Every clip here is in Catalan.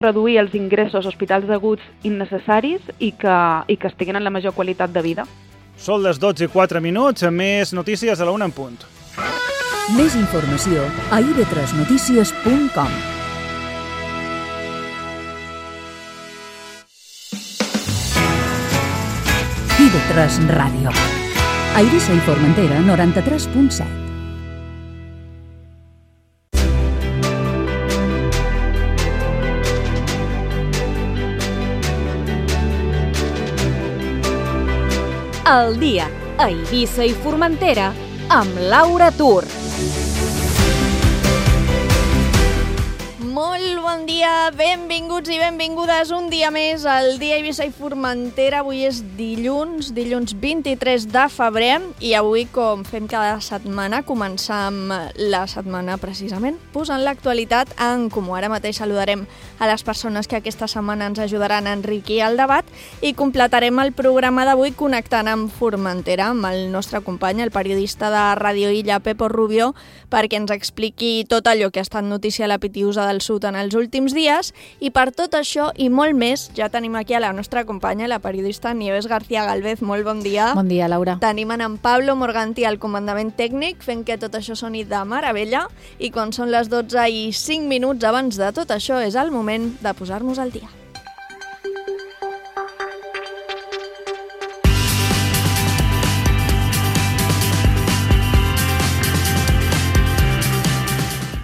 reduir els ingressos a hospitals aguts innecessaris i que estiguin en la major qualitat de vida. Són les 12:04, més notícies a la 1 en punt. Més informació a ib3notícies.com. IB3 Ràdio. A Eivissa i Formentera, 93.7. El dia a Eivissa i Formentera amb Laura Tur. Molt bon dia, benvinguts i benvingudes un dia més al dia a Eivissa i Formentera. Avui és dilluns 23 de febrer i avui, com fem cada setmana, començam la setmana precisament posant l'actualitat en comú. Ara mateix saludarem a les persones que aquesta setmana ens ajudaran a enriquir el debat i completarem el programa d'avui connectant amb Formentera, amb el nostre company, el periodista de Ràdio Illa, Pepo Rubio, perquè ens expliqui tot allò que ha estat notícia a la Pitiusa del Sud en els últims dies, i per tot això i molt més ja tenim aquí a la nostra companya, la periodista Nieves García Galvez. Molt bon dia. Bon dia, Laura. Tenim en Pablo Morganti al comandament tècnic, fent que tot això soni de meravella, i quan són les 12:05 abans de tot això és el moment de posar-nos al dia.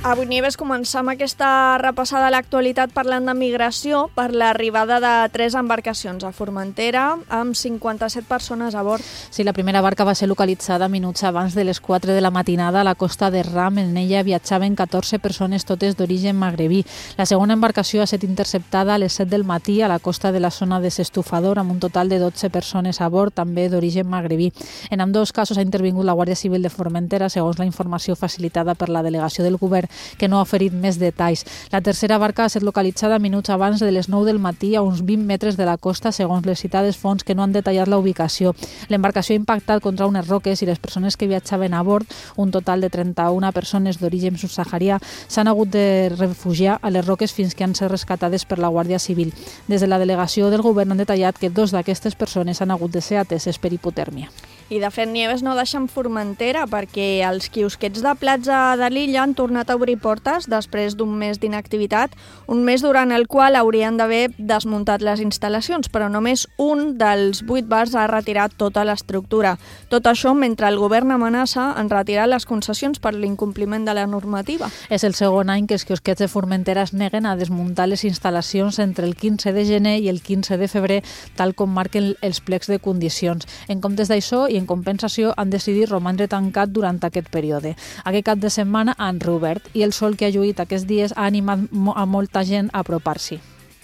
Avui, Nieves, començam aquesta repassada a l'actualitat parlant de migració per l'arribada de 3 embarcacions a Formentera amb 57 persones a bord. Sí, la primera barca va ser localitzada minuts abans de les 4 de la matinada a la costa de Ram. En ella viatjaven 14 persones, totes d'origen magrebí. La segona embarcació ha estat interceptada a les 7 del matí a la costa de la zona de Sestufador, amb un total de 12 persones a bord, també d'origen magrebí. En ambdós casos ha intervingut la Guàrdia Civil de Formentera, segons la informació facilitada per la delegació del govern, que no ha oferit més detalls. La tercera barca ha estat localitzada minuts abans de les 9 del matí a uns 20 metres de la costa, segons les citades fonts que no han detallat la ubicació. L'embarcació ha impactat contra unes roques i les persones que viatjaven a bord, un total de 31 persones d'origen subsaharià, s'han hagut de refugiar a les roques fins que han estat rescatades per la Guàrdia Civil. Des de la delegació del govern han detallat que 2 d'aquestes persones han hagut de ser ateses per hipotèrmia. I de fet, Nieves, no deixen Formentera perquè els quiosquets de platja de l'illa han tornat a obrir portes després d'un mes d'inactivitat, un mes durant el qual haurien d'haver desmuntat les instal·lacions, però només un dels 8 bars ha retirat tota l'estructura. Tot això mentre el govern amenaça en retirar les concessions per l'incompliment de la normativa. És el segon any que els quiosquets de Formentera es neguen a desmuntar les instal·lacions entre el 15 de gener i el 15 de febrer, tal com marquen els plecs de condicions. En comptes d'això, i en compensació, han decidit romandre tancat durant aquest període. Aquest cap de setmana han reobert i el sol que ha lluït aquests dies ha animat a molta gent a apropar-s'hi.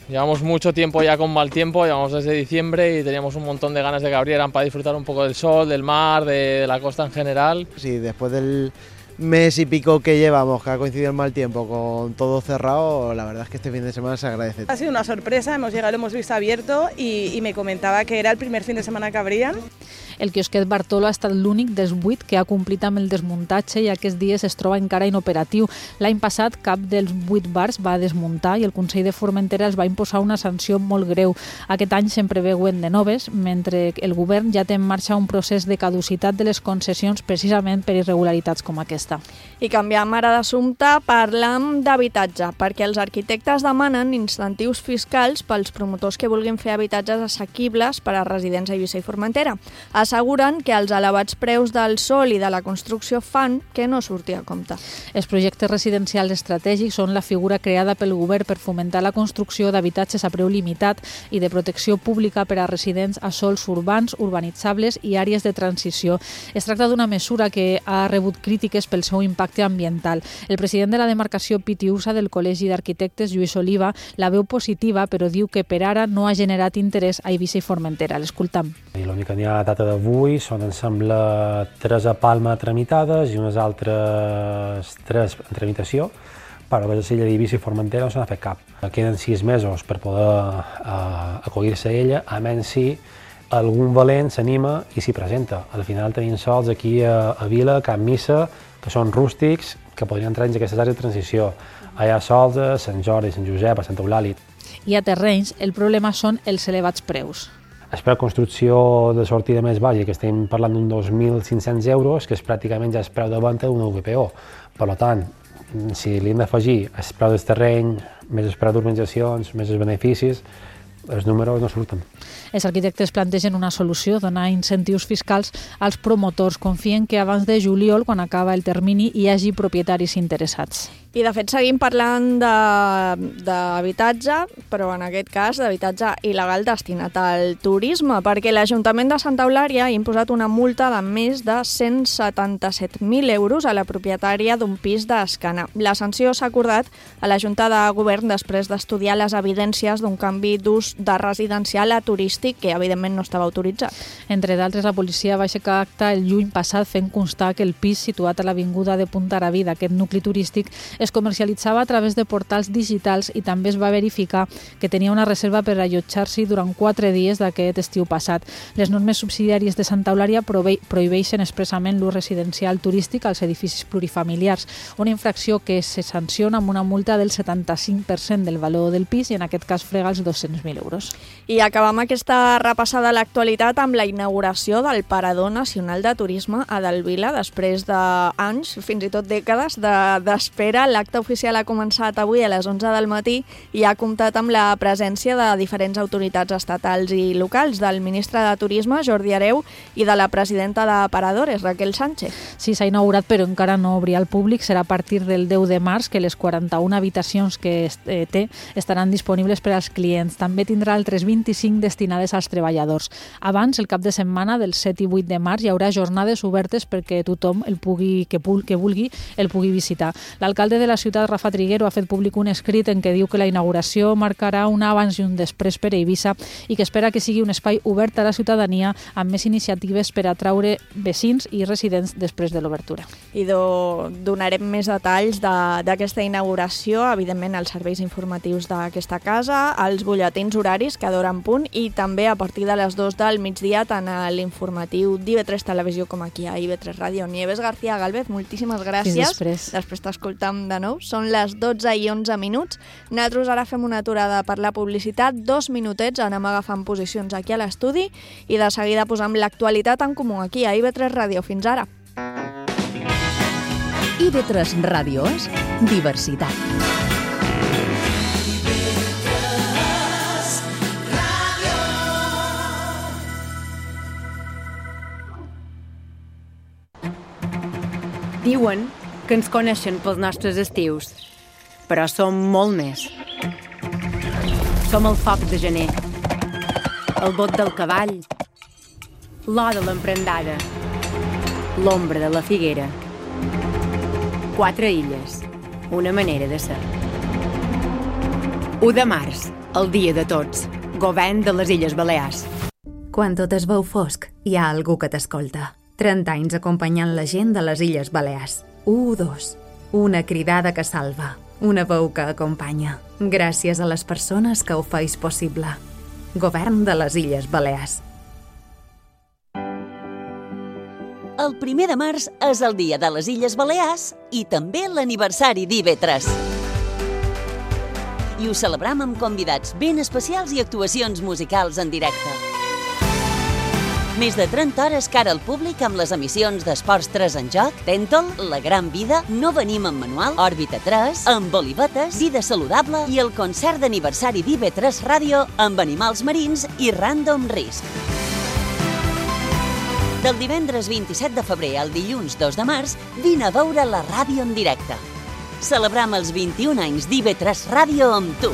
Llevamos mucho tiempo ya con mal tiempo, llevamos desde diciembre y teníamos un montón de ganas de que abrieran para disfrutar un poco del sol, del mar, de la costa en general. Sí, después del mes y pico que llevamos, que ha coincidido el mal tiempo con todo cerrado, la verdad es que este fin de semana se agradece. Ha sido una sorpresa, hemos llegado, lo hemos visto abierto y me comentaba que era el primer fin de semana que abrían. El quiosquet Bartolo ha estat l'únic dels 8 que ha complit amb el desmuntatge i aquests dies es troba encara inoperatiu. L'any passat cap dels 8 bars va desmuntar i el Consell de Formentera els va imposar una sanció molt greu. Aquest any se'n preveuen de noves, mentre el govern ja té en marxa un procés de caducitat de les concessions precisament per irregularitats com aquesta. I canviam ara d'assumpte, parlam d'habitatge, perquè els arquitectes demanen incentius fiscals pels promotors que vulguin fer habitatges assequibles per a residents a Eivissa i Formentera. Asseguren que els elevats preus del sòl i de la construcció fan que no surti a compte. Els projectes residencials estratègics són la figura creada pel govern per fomentar la construcció d'habitatges a preu limitat i de protecció pública per a residents a sòls urbans, urbanitzables i àrees de transició. Es tracta d'una mesura que ha rebut crítiques pel seu impacte ambiental. El president de la demarcació Pitiusa del Col·legi d'Arquitectes, Lluís Oliva, la veu positiva, però diu que per ara no ha generat interès a Eivissa i Formentera. L'escoltam. I l'únic que n'hi ha a data d'avui són, em sembla, 3 a Palma tramitades i unes altres 3 en tramitació, però a l'illa d'Eivissa i Formentera no se n'ha fet cap. Queden 6 mesos per poder acollir-se a ella, a menys si algun valent s'anima i s'hi presenta. Al final tenim sols aquí a Vila, a Can Missa, que són rústics, que podrien entrar en aquestes àrees de transició. Hi ha sols a Sant Jordi, Sant Josep, a Santa Eulàlia. I a terrenys, el problema són els elevats preus. El preu de construcció de sortida més baix, que estem parlant d'uns 2.500 euros, que és pràcticament ja el preu de venda d'una VPO. Per tant, si li hem d'afegir el preu del terreny, més el preu d'urbanitzacions, més els beneficis, els números no surten. Els arquitectes plantegen una solució, donar incentius fiscals als promotors. Confien que abans de juliol, quan acaba el termini, hi hagi propietaris interessats. I, de fet, seguim parlant d'habitatge, però en aquest cas d'habitatge il·legal destinat al turisme, perquè l'Ajuntament de Santa Eulària ha imposat una multa de més de 177.000 euros a la propietària d'un pis d'Escana. La sanció s'ha acordat a la Junta de Govern després d'estudiar les evidències d'un canvi d'ús de residencial a turístic que, evidentment, no estava autoritzat. Entre d'altres, la policia va aixecar acta el juny passat fent constar que el pis situat a l'avinguda de Puntarabí d'aquest nucli turístic es comercialitzava a través de portals digitals i també es va verificar que tenia una reserva per allotjar-s'hi durant 4 dies d'aquest estiu passat. Les normes subsidiàries de Santa Eulària prohibeixen expressament l'ús residencial turístic als edificis plurifamiliars, una infracció que se sanciona amb una multa del 75% del valor del pis i en aquest cas frega els 200.000 euros. I acabam aquesta repassada a l'actualitat amb la inauguració del Parador Nacional de Turisme a Delvila després d'anys, fins i tot dècades, d'espera. L'acte oficial ha començat avui a les 11 del matí i ha comptat amb la presència de diferents autoritats estatals i locals, del ministre de Turisme, Jordi Hereu, i de la presidenta de Paradores, Raquel Sánchez. Sí, s'ha inaugurat, però encara no obrirà al públic. Serà a partir del 10 de març que les 41 habitacions que té estaran disponibles per als clients. També tindrà altres 25 destinades als treballadors. Abans, el cap de setmana del 7 i 8 de març, hi haurà jornades obertes perquè tothom que vulgui el pugui visitar. L'alcalde de la ciutat, Rafa Triguero, ha fet públic un escrit en què diu que la inauguració marcarà un abans i un després per a Eivissa i que espera que sigui un espai obert a la ciutadania amb més iniciatives per atraure veïns i residents després de l'obertura. I donarem més detalls d'aquesta inauguració, evidentment als serveis informatius d'aquesta casa, als butlletins horaris que d'hora en punt i també a partir de les 2 del migdia tant a l'informatiu d'IV3 Televisió com aquí a IV3 Ràdio. Nieves García Gálvez, moltíssimes gràcies. Després t'escoltam de nou. Són les 12 i 11 minuts. Nosaltres ara fem una aturada per la publicitat, 2 minutets, anem agafant posicions aquí a l'estudi i de seguida posam l'actualitat en comú aquí a IV3 Ràdio. Fins ara. IV3 Ràdio és diversitat. Diuen que ens coneixen pels nostres estius, però som molt més. Som el foc de gener, el bot del cavall, l'or de l'emprendada, l'ombra de la figuera. 4 illes, una manera de ser. 1 de març, el dia de tots, govern de les Illes Balears. Quan tot es veu fosc, hi ha algú que t'escolta. 30 anys acompanyant la gent de les Illes Balears. 1, 2. Una cridada que salva. Una veu que acompanya. Gràcies a les persones que ho feis possible. Govern de les Illes Balears. El 1 de març és el dia de les Illes Balears i també l'aniversari d'IV3. I ho celebrem amb convidats ben especials i actuacions musicals en directe. Més de 30 hores cara al públic amb les emissions d'Esports 3 en joc, Tèntol, La Gran Vida, No venim amb manual, Òrbita 3, amb Olivetes, Vida Saludable i el concert d'aniversari d'IV3 Ràdio amb animals marins i Random Risk. Del divendres 27 de febrer al dilluns 2 de març, vine a veure la ràdio en directe. Celebrem els 21 anys d'IV3 Ràdio amb tu.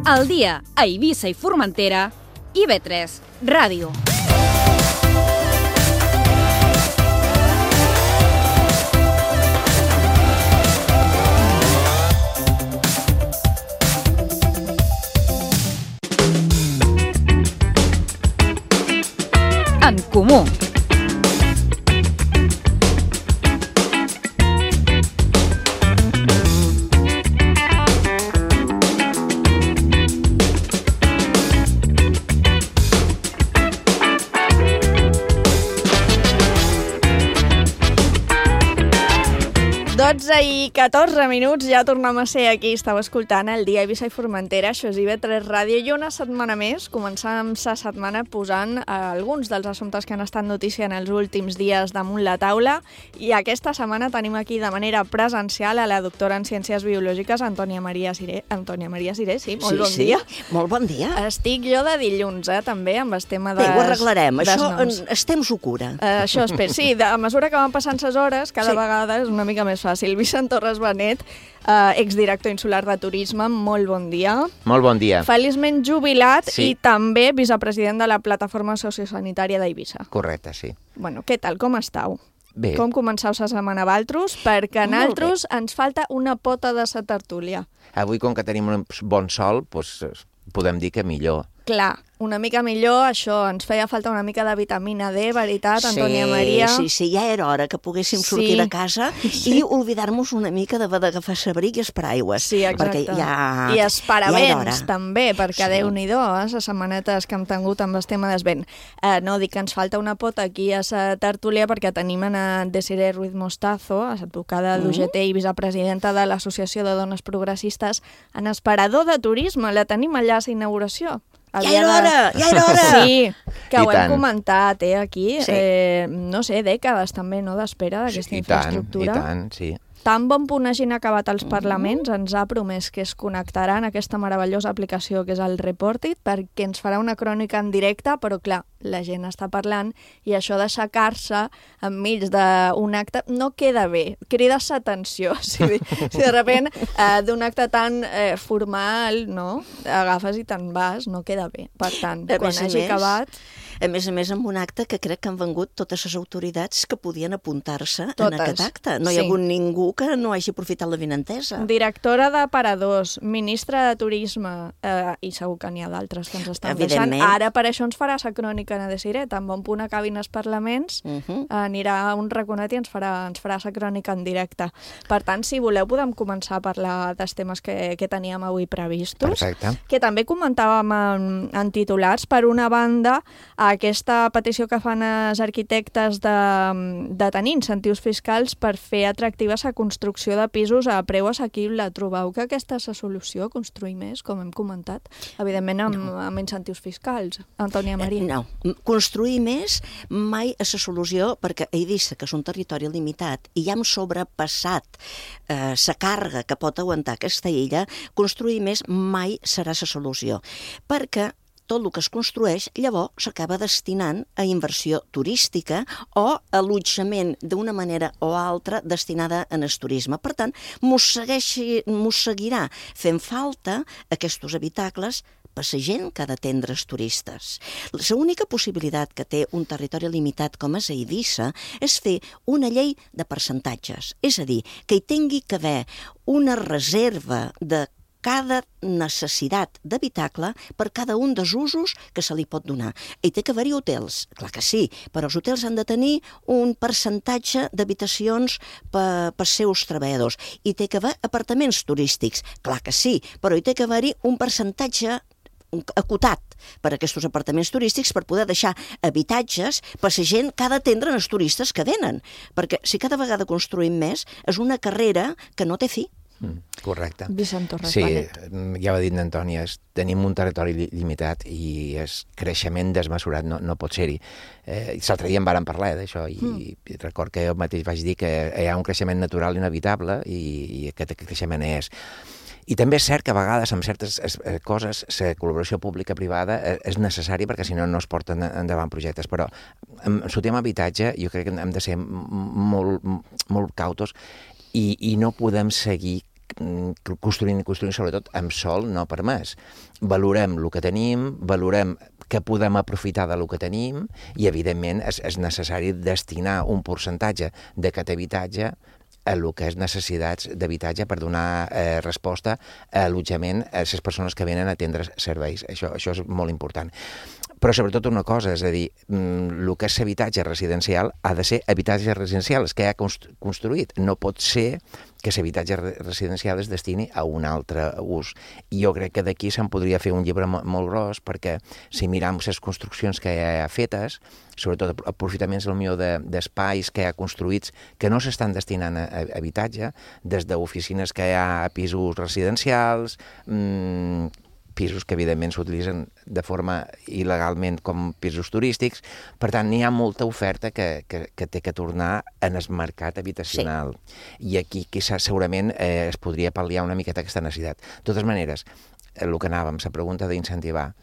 Al dia a Eivissa i Formentera, IV3 Ràdio. En comú. 12:14, ja tornem a ser aquí. Estàu escoltant el Dia Eivissa i Formentera, això és IB3 Ràdio, i una setmana més començàvem la setmana posant alguns dels assumptes que han estat notícia en els últims dies damunt la taula, i aquesta setmana tenim aquí de manera presencial a la doctora en Ciències Biològiques, Antònia Maria Siré. Antònia Maria Siré, sí, molt bon dia. Molt bon dia. Estic jo de dilluns, també, amb el tema Bé, ho arreglarem, això el temps ho cura. Això espero, sí, a mesura que van passant les hores, cada vegada és una mica més fàcil. Vicent Torres Benet, exdirector insular de turisme, molt bon dia. Molt bon dia. Feliçment jubilat i també vicepresident de la Plataforma Sociosanitària d'Eivissa. Correcte, sí. Bueno, què tal, com estàu? Bé. Com començau la setmana valtros? Perquè a nosaltres ens falta una pota de sa tertúlia. Avui, com que tenim un bon sol, doncs podem dir que millor. Clar, una mica millor, això, ens feia falta una mica de vitamina D, veritat, Antònia Maria? Sí, ja era hora que poguéssim sortir de casa i oblidar-nos una mica d'agafar sabric i esparaigües. Sí, exacte. I esparavents, també, perquè Déu-n'hi-do, les setmanetes que hem tingut amb el tema del vent. No, dic que ens falta una pota aquí a la tertúlia perquè tenim a Desiree Ruiz Mostazo, advocada d'UGT i vicepresidenta de l'Associació de Dones Progressistes, en Esperador de Turisme. La tenim allà a la inauguració. Ja era hora! Sí, que ho hem comentat aquí, no sé, dècades també, no?, d'espera d'aquesta infraestructura. I tant, sí. Tan bon punt hagin acabat els parlaments, ens ha promès que es connectarà en aquesta meravellosa aplicació que és el Reportit, perquè ens farà una crònica en directe, però clar, la gent està parlant i això d'aixecar-se enmig d'un acte no queda bé, crides l'atenció. Si de repent d'un acte tan formal, no?, agafes i te'n vas, no queda bé. Per tant, quan hagi acabat... A més, amb un acte que crec que han vengut totes les autoritats que podien apuntar-se en aquest acte. No hi ha hagut ningú que no hagi aprofitat la vinentesa. Directora de Paradors, ministra de Turisme, i segur que n'hi ha d'altres que ens estan deixant. Ara per això ens farà la crònica a Desiree. Tan bon punt acabin els parlaments, anirà un raconet i ens farà la crònica en directe. Per tant, si voleu, podem començar a parlar dels temes que teníem avui previstos. Perfecte. Que també comentàvem en titulars. Per una banda, aquesta petició que fan els arquitectes de tenir incentius fiscals per fer atractiva la construcció de pisos a preu assequible. Trobeu que aquesta és la solució, construir més, com hem comentat? Evidentment amb incentius fiscals. Antònia Maria. No, construir més mai és la solució, perquè a Eivissa, que és un territori limitat, i ja hem sobrepassat la càrrega que pot aguantar aquesta illa, construir més mai serà la solució. Perquè tot el que es construeix, llavors s'acaba destinant a inversió turística o allotjament d'una manera o altra destinada en el turisme. Per tant, mos seguirà fent falta aquests habitacles per la gent que ha d'atendre els turistes. L'única possibilitat que té un territori limitat com és Eivissa és fer una llei de percentatges, és a dir, que hi tingui que haver una reserva de cada necessitat d'habitacle per cada un dels usos que se li pot donar. Hi té que haver-hi hotels, clar que sí, però els hotels han de tenir un percentatge d'habitacions pels seus treballadors. Hi té que haver apartaments turístics, clar que sí, però hi té que haver-hi un percentatge acotat per a aquests apartaments turístics per poder deixar habitatges per la gent que ha d'atendre els turistes que venen. Perquè si cada vegada construïm més, és una carrera que no té fi. Correcte. Vicent Torres Benet. Sí, ja ho ha dit Antònia, tenim un territori limitat i el creixement desmesurat no pot ser-hi. L'altre dia en vàrem parlar d'això i record que jo mateix vaig dir que hi ha un creixement natural inevitable i aquest creixement és. I també és cert que a vegades amb certes coses la col·laboració pública-privada és necessària perquè si no es porten endavant projectes, però en el tema habitatge jo crec que hem de ser molt cautos i no podem seguir construint sobretot amb sol no permès. Valorem el que tenim, valorem que podem aprofitar del que tenim i evidentment és necessari destinar un percentatge d'aquest habitatge a el que és necessitats d'habitatge per donar resposta a allotjament a les persones que venen a atendre serveis. Això és molt important. Però sobretot una cosa, és a dir, el que és habitatge residencial ha de ser habitatge residencial, és que ha construït. No pot ser que l'habitatge residencial es destini a un altre ús. I jo crec que d'aquí se'n podria fer un llibre molt gros, perquè si miram les construccions que hi ha fetes, sobretot aprofitaments d'espais que hi ha construïts que no s'estan destinant a habitatge, des d'oficines que hi ha a pisos residencials, pisos que evidentment s'utilitzen de forma il·legalment com pisos turístics. Per tant, n'hi ha molta oferta que té que tornar en el mercat habitacional. Sí. I aquí segurament es podria pal·liar una miqueta aquesta necessitat. De totes maneres, el que anàvem, la pregunta d'incentivar,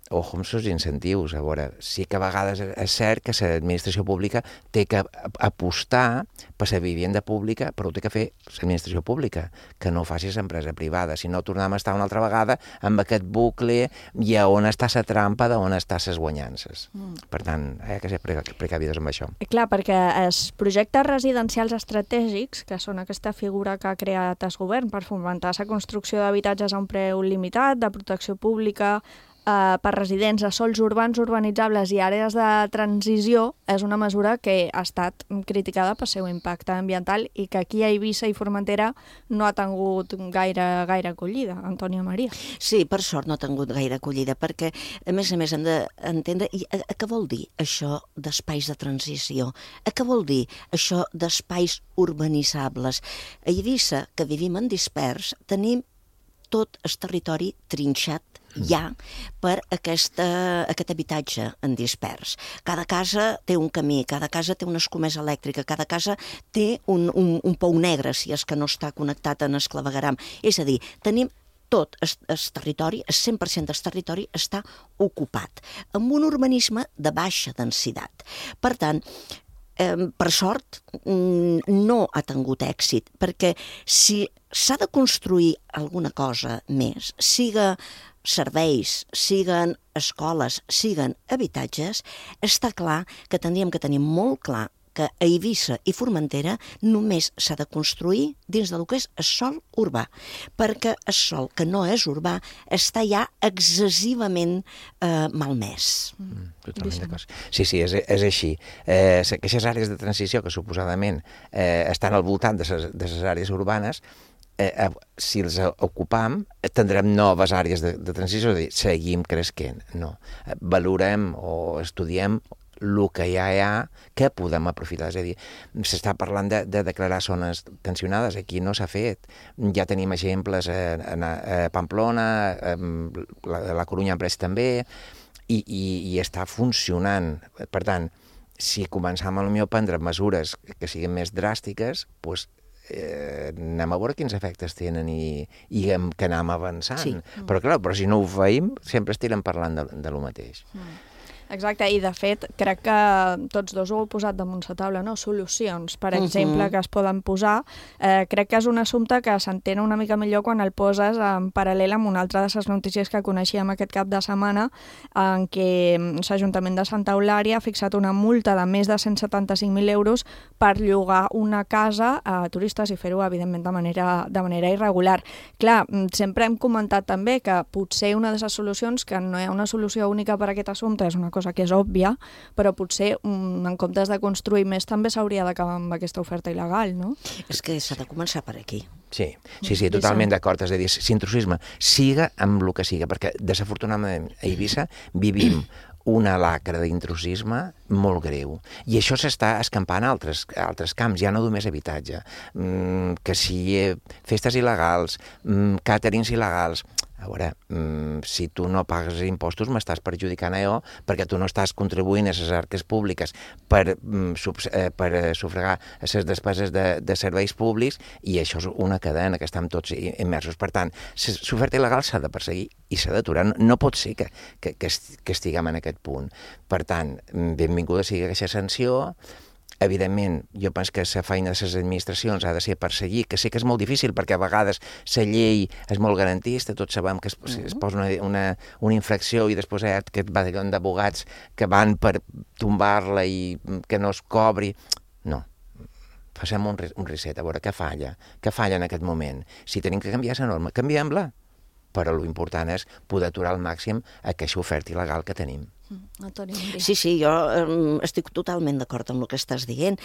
ojo amb els incentius. A veure, sí que a vegades és cert que l'administració pública té que apostar per la vivenda pública, però ho té que fer l'administració pública, que no ho faci l'empresa privada. Si no, tornem a estar una altra vegada amb aquest bucle i a on està la trampa d'on estan les guanyances. Per tant, hi ha que ser precavides amb això. Clar, perquè els projectes residencials estratègics, que són aquesta figura que ha creat el govern per fomentar la construcció d'habitatges a un preu limitat, de protecció pública, per residents a sols urbans, urbanitzables i àrees de transició, és una mesura que ha estat criticada pel seu impacte ambiental i que aquí a Eivissa i Formentera no ha tingut gaire acollida. Antònia Maria. Sí, per sort no ha tingut gaire acollida, perquè a més hem d'entendre què vol dir això d'espais de transició, què vol dir això d'espais urbanitzables. A Eivissa, que vivim en dispers, tenim tot el territori trinxat ja per aquest habitatge en dispers. Cada casa té un camí, cada casa té una escomesa elèctrica, cada casa té un pou negre, si és que no està connectat en el clavegueram. És a dir, tenim tot el territori, el 100% del territori està ocupat, amb un urbanisme de baixa densitat. Per tant, per sort, no ha tingut èxit, perquè si s'ha de construir alguna cosa més, siga serveis, siguen escoles, siguen habitatges, està clar que tindríem que tenir molt clar que a Eivissa i Formentera només s'ha de construir dins del que és el sòl urbà, perquè el sòl que no és urbà està ja excessivament malmès. Totalment d'acord. Sí, és així. Aquestes àrees de transició que suposadament estan al voltant de les àrees urbanes, si els ocupam, tindrem noves àrees de transició, és a dir, seguim creixent. No. Valorem o estudiem el que ja hi ha, que podem aprofitar. És a dir, s'està parlant de declarar zones tensionades, aquí no s'ha fet. Ja tenim exemples a Pamplona, a la Corunya en Prest també, i està funcionant. Per tant, si començam a prendre mesures que siguin més dràstiques, doncs anem a veure quins efectes tenen i que anem avançant. Sí. Però clar, si no ho feim, sempre estirem parlant de lo mateix. Exacte, i de fet crec que tots dos ho heu posat damunt la taula, no? Solucions, per exemple, que es poden posar. Crec que és un assumpte que s'entén una mica millor quan el poses en paral·lel amb una altra de les notícies que coneixíem aquest cap de setmana, en què l'Ajuntament de Santa Eulària ha fixat una multa de més de 175.000 euros per llogar una casa a turistes i fer-ho, evidentment, de manera irregular. Clar, sempre hem comentat també que potser una de les solucions, que no hi ha una solució única per a aquest assumpte, és una cosa que és òbvia, però potser en comptes de construir més també s'hauria d'acabar amb aquesta oferta il·legal, no? És que s'ha de començar per aquí. Sí, totalment d'acord. És a dir, l'intrusisme siga amb el que siga, perquè desafortunadament a Eivissa vivim una lacra d'intrusisme molt greu. I això s'està escampant a altres camps, ja no només habitatge. Que si festes il·legals, càterings il·legals. A veure, si tu no pagues impostos m'estàs perjudicant a jo perquè tu no estàs contribuint a les arques públiques per sufragar les despeses de serveis públics, i això és una cadena que estem tots immersos. Per tant, l'oferta il·legal s'ha de perseguir i s'ha d'aturar. No pot ser que estiguem en aquest punt. Per tant, benvinguda sigui aquesta sanció. Evidentment, jo penso que la feina de les administracions ha de ser perseguir, que sé que és molt difícil perquè a vegades la llei és molt garantista, tots sabem que es posa una infracció i després hi ha aquest batallón d'abogats que van per tombar-la i que no es cobri. No. Facem un reset, a veure què falla en aquest moment. Si tenim que canviar la norma, canviem-la. però l'important és poder aturar al màxim aquesta oferta il·legal que tenim. Sí, jo estic totalment d'acord amb el que estàs dient.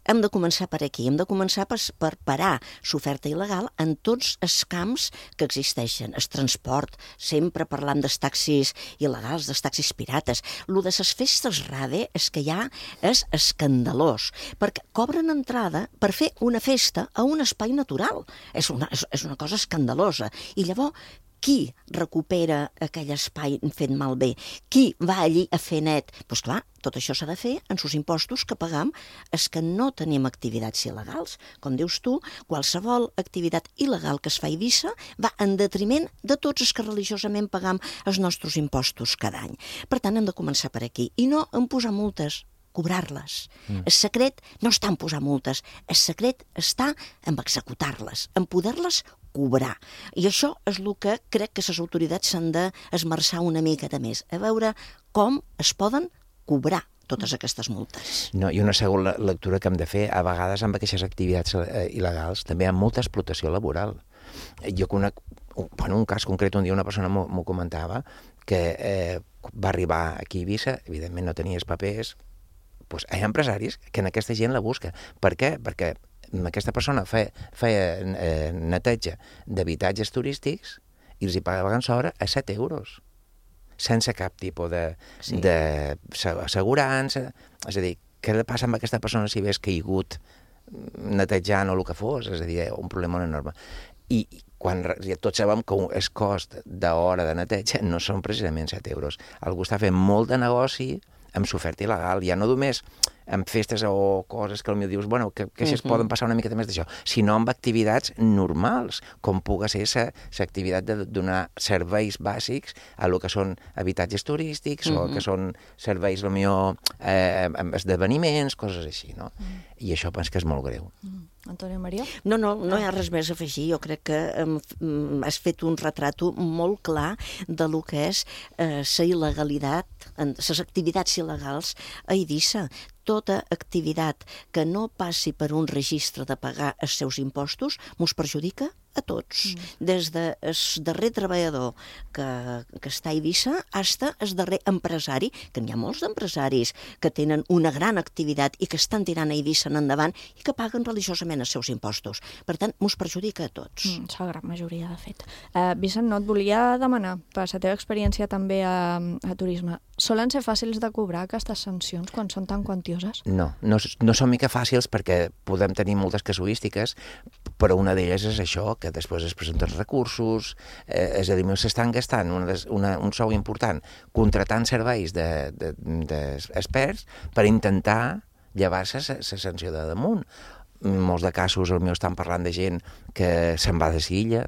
Hem de començar per aquí, hem de començar per parar l'oferta il·legal en tots els camps que existeixen. El transport, sempre parlant dels taxis il·legals, dels taxis pirates. Lo de les festes rave és que ja és escandalós, perquè cobren entrada per fer una festa a un espai natural. És una cosa escandalosa. I llavors, qui recupera aquell espai fet malbé? Qui va allí a fer net? Doncs clar, tot això s'ha de fer en els impostos que pagam els que no tenim activitats il·legals. Com dius tu, qualsevol activitat il·legal que es fa a Eivissa va en detriment de tots els que religiosament pagam els nostres impostos cada any. Per tant, hem de començar per aquí i no en posar multes, cobrar-les. El secret no està en posar multes, el secret està en executar-les, en poder-les cobrar. I això és el que crec que les autoritats s'han d'esmerçar una miqueta més, a veure com es poden cobrar totes aquestes multes. No, i una segona lectura que hem de fer, a vegades amb aquestes activitats il·legals també hi ha molta explotació laboral. Jo conec un cas concret, un dia una persona m'ho comentava, que va arribar aquí a Eivissa, evidentment no tenia els papers, doncs hi ha empresaris que en aquesta gent la busca. Per què? Perquè aquesta persona feia neteja d'habitatges turístics i els hi pagaven sobre a 7 euros, sense cap tipus d'assegurança. És a dir, què li passa amb aquesta persona si hagués caigut netejant o el que fos? És a dir, un problema enorme. I quan tots sabem que el cost d'hora de neteja no són precisament 7 euros. Algú està fent molt de negoci amb l'oferta il·legal, ja no només amb festes o coses que potser dius, bueno, que si es poden passar una miqueta més d'això, sinó amb activitats normals, com pugui ser l'activitat de donar serveis bàsics a lo que són habitatges turístics o que són serveis, potser, esdeveniments, coses així, no? I això penso que és molt greu. Antònia Maria? No hi ha res més a afegir. Jo crec que has fet un retrato molt clar de lo que és la il·legalitat, les activitats il·legals a Eivissa. Tota activitat que no passi per un registre de pagar els seus impostos mos perjudica a tots. Des del darrer treballador que està a Eivissa fins al darrer empresari, que n'hi ha molts d'empresaris que tenen una gran activitat i que estan tirant a Eivissa endavant i que paguen religiosament els seus impostos. Per tant, mos perjudica a tots. És la gran majoria, de fet. Vicent, no et volia demanar, per la teva experiència també a turisme, solen ser fàcils de cobrar aquestes sancions quan són tan quantioses? No són mica fàcils perquè podem tenir moltes casuístiques, però una d'elles és això, que després es presenten recursos, és a dir, s'estan gastant un sou important contratant serveis d'experts per intentar llevar-se la sanció de damunt. Molts de casos potser estan parlant de gent que se'n va de l'illa,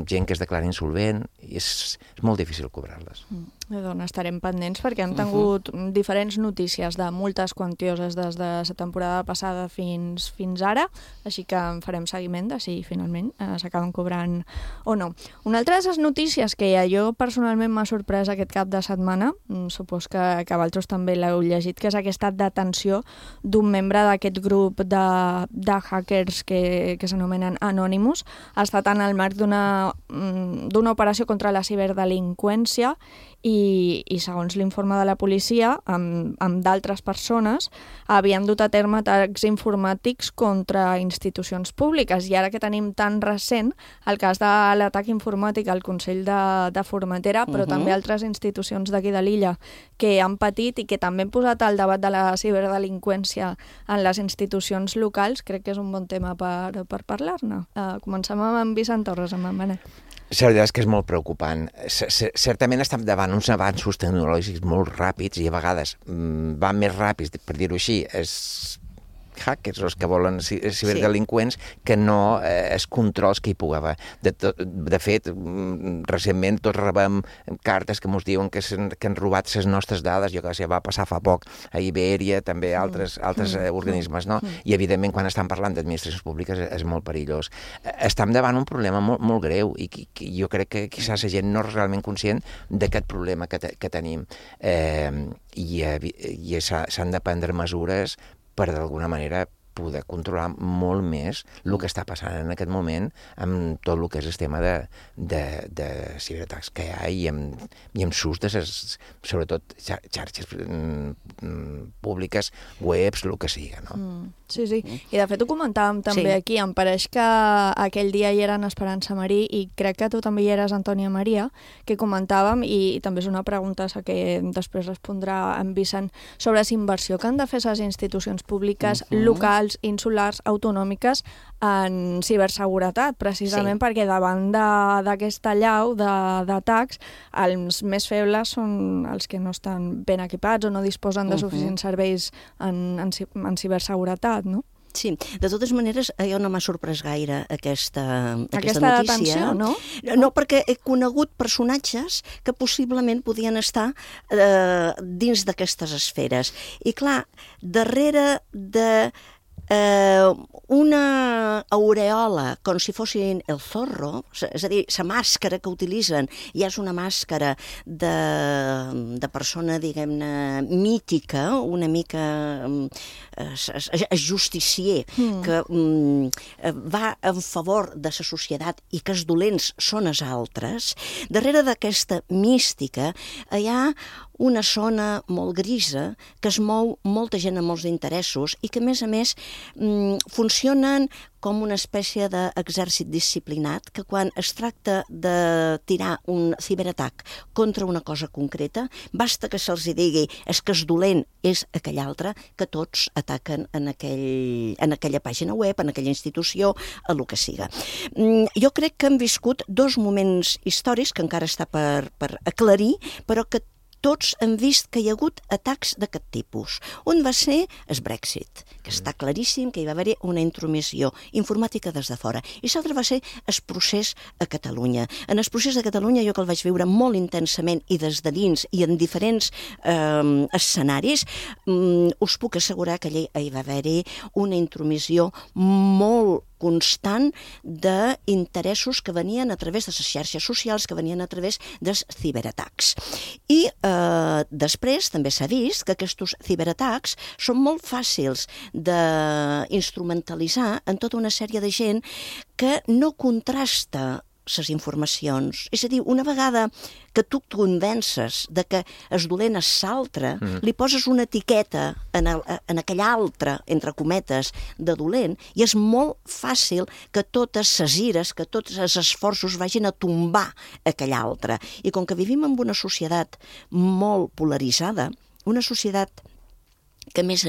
gent que es declara insolvent, i és molt difícil cobrar-les. Doncs estarem pendents perquè hem tingut diferents notícies de multes quantioses des de la temporada passada fins ara, així que en farem seguiment de si finalment s'acaben cobrant o no. Una altra de les notícies que jo personalment m'ha sorprès aquest cap de setmana, supos que vosaltres també l'heu llegit, que és aquesta detenció d'un membre d'aquest grup de hackers que s'anomenen Anonymous. Ha estat en el marc d'una operació contra la ciberdelinqüència i segons l'informe de la policia, amb d'altres persones, havien dut a terme atacs informàtics contra institucions públiques. I ara que tenim tan recent el cas de l'atac informàtic al Consell de Formentera, però també altres institucions d'aquí de l'illa que han patit i que també han posat al debat de la ciberdelinqüència en les institucions locals, crec que és un bon tema per parlar-ne. Comencem amb en Vicent Torres, amb en Manel. La veritat és que és molt preocupant. Certament estem davant uns avanços tecnològics molt ràpids i a vegades van més ràpids, per dir-ho així, hackers, els que volen ciberdelinqüents, que no els controls que hi pugui haver. De fet, recentment tots rebem cartes que ens diuen que han robat les nostres dades, jo que sé, va passar fa poc a Ibèria, també altres organismes, no? I evidentment quan estan parlant d'administracions públiques és molt perillós. Estem davant un problema molt greu i jo crec que quizás la gent no és realment conscient d'aquest problema que tenim i s'han de prendre mesures per d'alguna manera poder controlar molt més el que està passant en aquest moment amb tot el que és el tema de ciberatacs que hi ha i amb s'ús de les, sobretot, xarxes públiques, webs, el que sigui, no? Sí. I de fet ho comentàvem també aquí. Em pareix que aquell dia hi eren Esperança Marí i crec que tu també hi eres, Antònia Maria, que comentàvem, i també és una pregunta que després respondrà en Vicent, sobre la inversió que han de fer les institucions públiques, locals, insulars, autonòmiques en ciberseguretat, precisament perquè davant d'aquesta allau d'atacs, els més febles són els que no estan ben equipats o no disposen de suficients serveis en ciberseguretat, no? Sí, de totes maneres, jo no m'ha sorprès gaire aquesta notícia. Atenció, no? No, perquè he conegut personatges que possiblement podien estar dins d'aquestes esferes. I clar, darrere de una aureola, com si fossin el Zorro, és a dir, la màscara que utilitzen ja és una màscara de persona, diguem-ne, mítica, una mica justicier, que va en favor de la societat i que els dolents són els altres. Darrere d'aquesta mística hi ha una zona molt grisa que es mou molta gent amb molts interessos i que, a més, funcionen com una espècie d'exèrcit disciplinat que quan es tracta de tirar un ciberatac contra una cosa concreta, basta que se'ls digui és que el dolent és aquell altre, que tots ataquen en aquella pàgina web, en aquella institució, a lo que siga. Jo crec que hem viscut dos moments històrics que encara està per aclarir, però que tots hem vist que hi ha hagut atacs d'aquest tipus. Un va ser el Brexit, que està claríssim que hi va haver una intromissió informàtica des de fora. I l'altre va ser el procés a Catalunya. En el procés a Catalunya jo que el vaig viure molt intensament i des de dins i en diferents escenaris, us puc assegurar que allà hi va haver una intromissió molt constant d'interessos que venien a través de les xarxes socials, que venien a través dels ciberatacs. I després també s'ha vist que aquests ciberatacs són molt fàcils d'instrumentalitzar en tota una sèrie de gent que no contrasta les informacions. És a dir, una vegada que tu et convences de que el dolent és l'altre, li poses una etiqueta en aquell altre, entre cometes, de dolent, i és molt fàcil que totes les ires, que tots els esforços vagin a tombar aquell altre. I com que vivim en una societat molt polaritzada, una societat que, a més,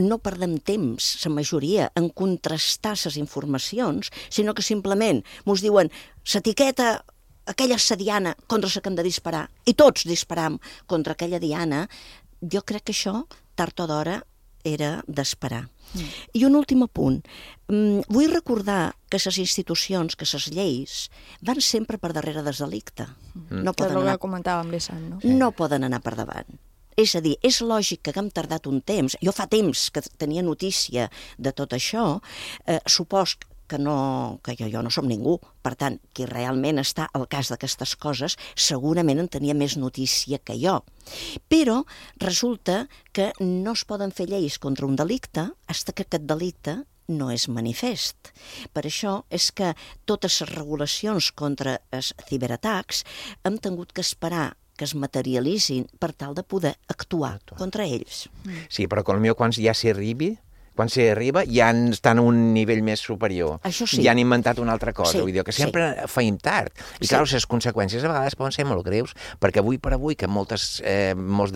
no perdem temps, la majoria, en contrastar les informacions, sinó que simplement ens diuen l'etiqueta, aquella és la diana contra la que hem de disparar, i tots disparam contra aquella diana. Jo crec que això, tard o d'hora, era d'esperar. I un últim apunt. Vull recordar que les institucions, que les lleis, van sempre per darrere del delicte. No poden anar, comentàvem, Vicent, no? No poden anar per davant. És a dir, és lògic que haguem tardat un temps, jo fa temps que tenia notícia de tot això, supos que jo no som ningú, per tant, qui realment està al cas d'aquestes coses segurament en tenia més notícia que jo. Però resulta que no es poden fer lleis contra un delicte fins que aquest delicte no és manifest. Per això és que totes les regulacions contra els ciberatacs hem tingut que esperar que es materialitzin per tal de poder actuar contra ells. Sí, però potser quan ja s'hi arriba ja estan a un nivell més superior. Això sí. Ja han inventat una altra cosa. Sí, vull dir que sempre feim tard. I clar, les conseqüències a vegades poden ser molt greus, perquè avui per avui que molts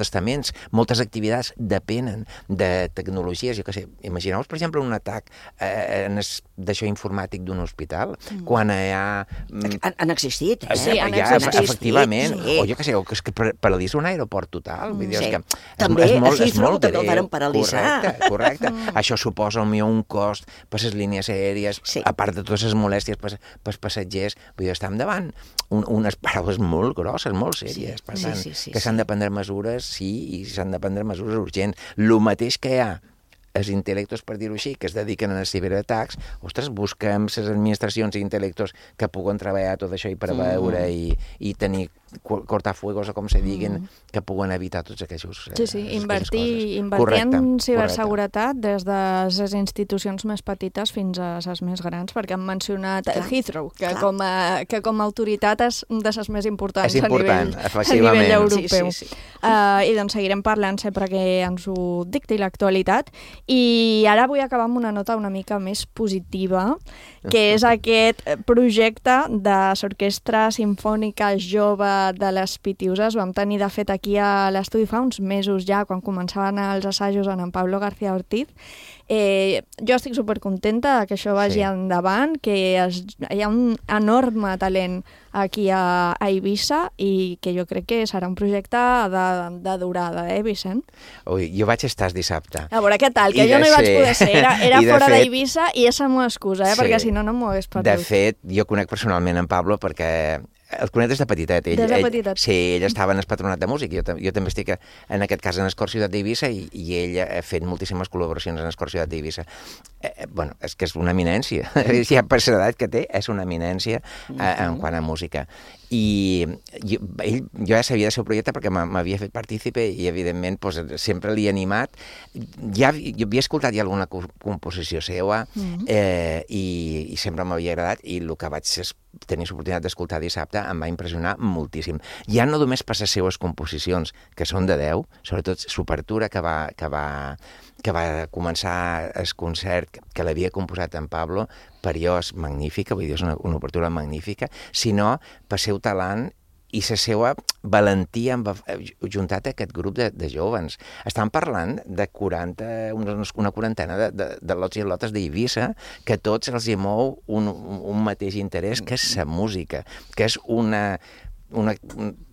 estaments, moltes activitats depenen de tecnologies, jo què sé, imagineu-vos, per exemple, un atac d'això informàtic d'un hospital, quan hi ha... Han existit, Sí, han existit. Efectivament. O jo què sé, o que paralitza un aeroport total. Vull dir, és que també és molt que greu. el varen paralitzar. Correcte. Això suposa potser un cost per les línies aèries, a part de totes les molèsties per als passatgers. Vull dir, estem davant unes paraules molt grosses, molt sèries. Per tant, que s'han de prendre mesures, i s'han de prendre mesures urgents. El mateix que hi ha els intel·lectos, per dir-ho així, que es dediquen als ciberatacs, ostres, busquem les administracions i intel·lectos que puguen treballar tot això i preveure i tenir cortafuegos o com se diguin, que puguen evitar tots aquests... Sí, invertir en ciberseguretat des de les institucions més petites fins a les més grans, perquè han mencionat Heathrow, que com a autoritat és de les més importants a nivell europeu. I doncs seguirem parlant sempre que ens ho dicti l'actualitat. I ara vull acabar amb una nota una mica més positiva, que és aquest projecte de l'Orquestra Simfònica Jove de les Pitiuses. Vam tenir, de fet, aquí a l'estudi fa uns mesos ja, quan començaven els assajos en Pablo García Ortiz. Jo estic supercontenta que això vagi endavant, que hi ha un enorme talent aquí a Eivissa i que jo crec que serà un projecte de durada, Vicent? Ui, jo vaig estar dissabte. A veure què tal, que jo no hi vaig poder ser. Era fora d'Eivissa i és la meva excusa, perquè si no, no m'ho hagués perdut. De fet, jo conec personalment en Pablo perquè el conec des de petitet. Sí, ell estava en el Patronat de Músic. Jo també estic, en aquest cas, en el Cor Ciutat d'Eivissa i ell ha fet moltíssimes col·laboracions en el Cor Ciutat d'Eivissa. Bueno, és que és una eminència. Ja per l'edat que té, és una eminència en quant a música. I jo ja sabia del seu projecte perquè m'havia fet partícipe i, evidentment, sempre l'he animat. Jo havia escoltat ja alguna composició seva i sempre m'havia agradat i el que vaig tenir l'oportunitat d'escoltar dissabte em va impressionar moltíssim. Ja no només per les seues composicions, que són de 10, sobretot l'obertura que va començar el concert que l'havia composat en Pablo, per jo és magnífica, vull dir, és una obertura magnífica, sinó per seu talent i la seva valentia juntat a aquest grup de jovens. Estan parlant de una quarantena de lots i lotes d'Eivissa que tots els hi mou un mateix interès, que és la música, que és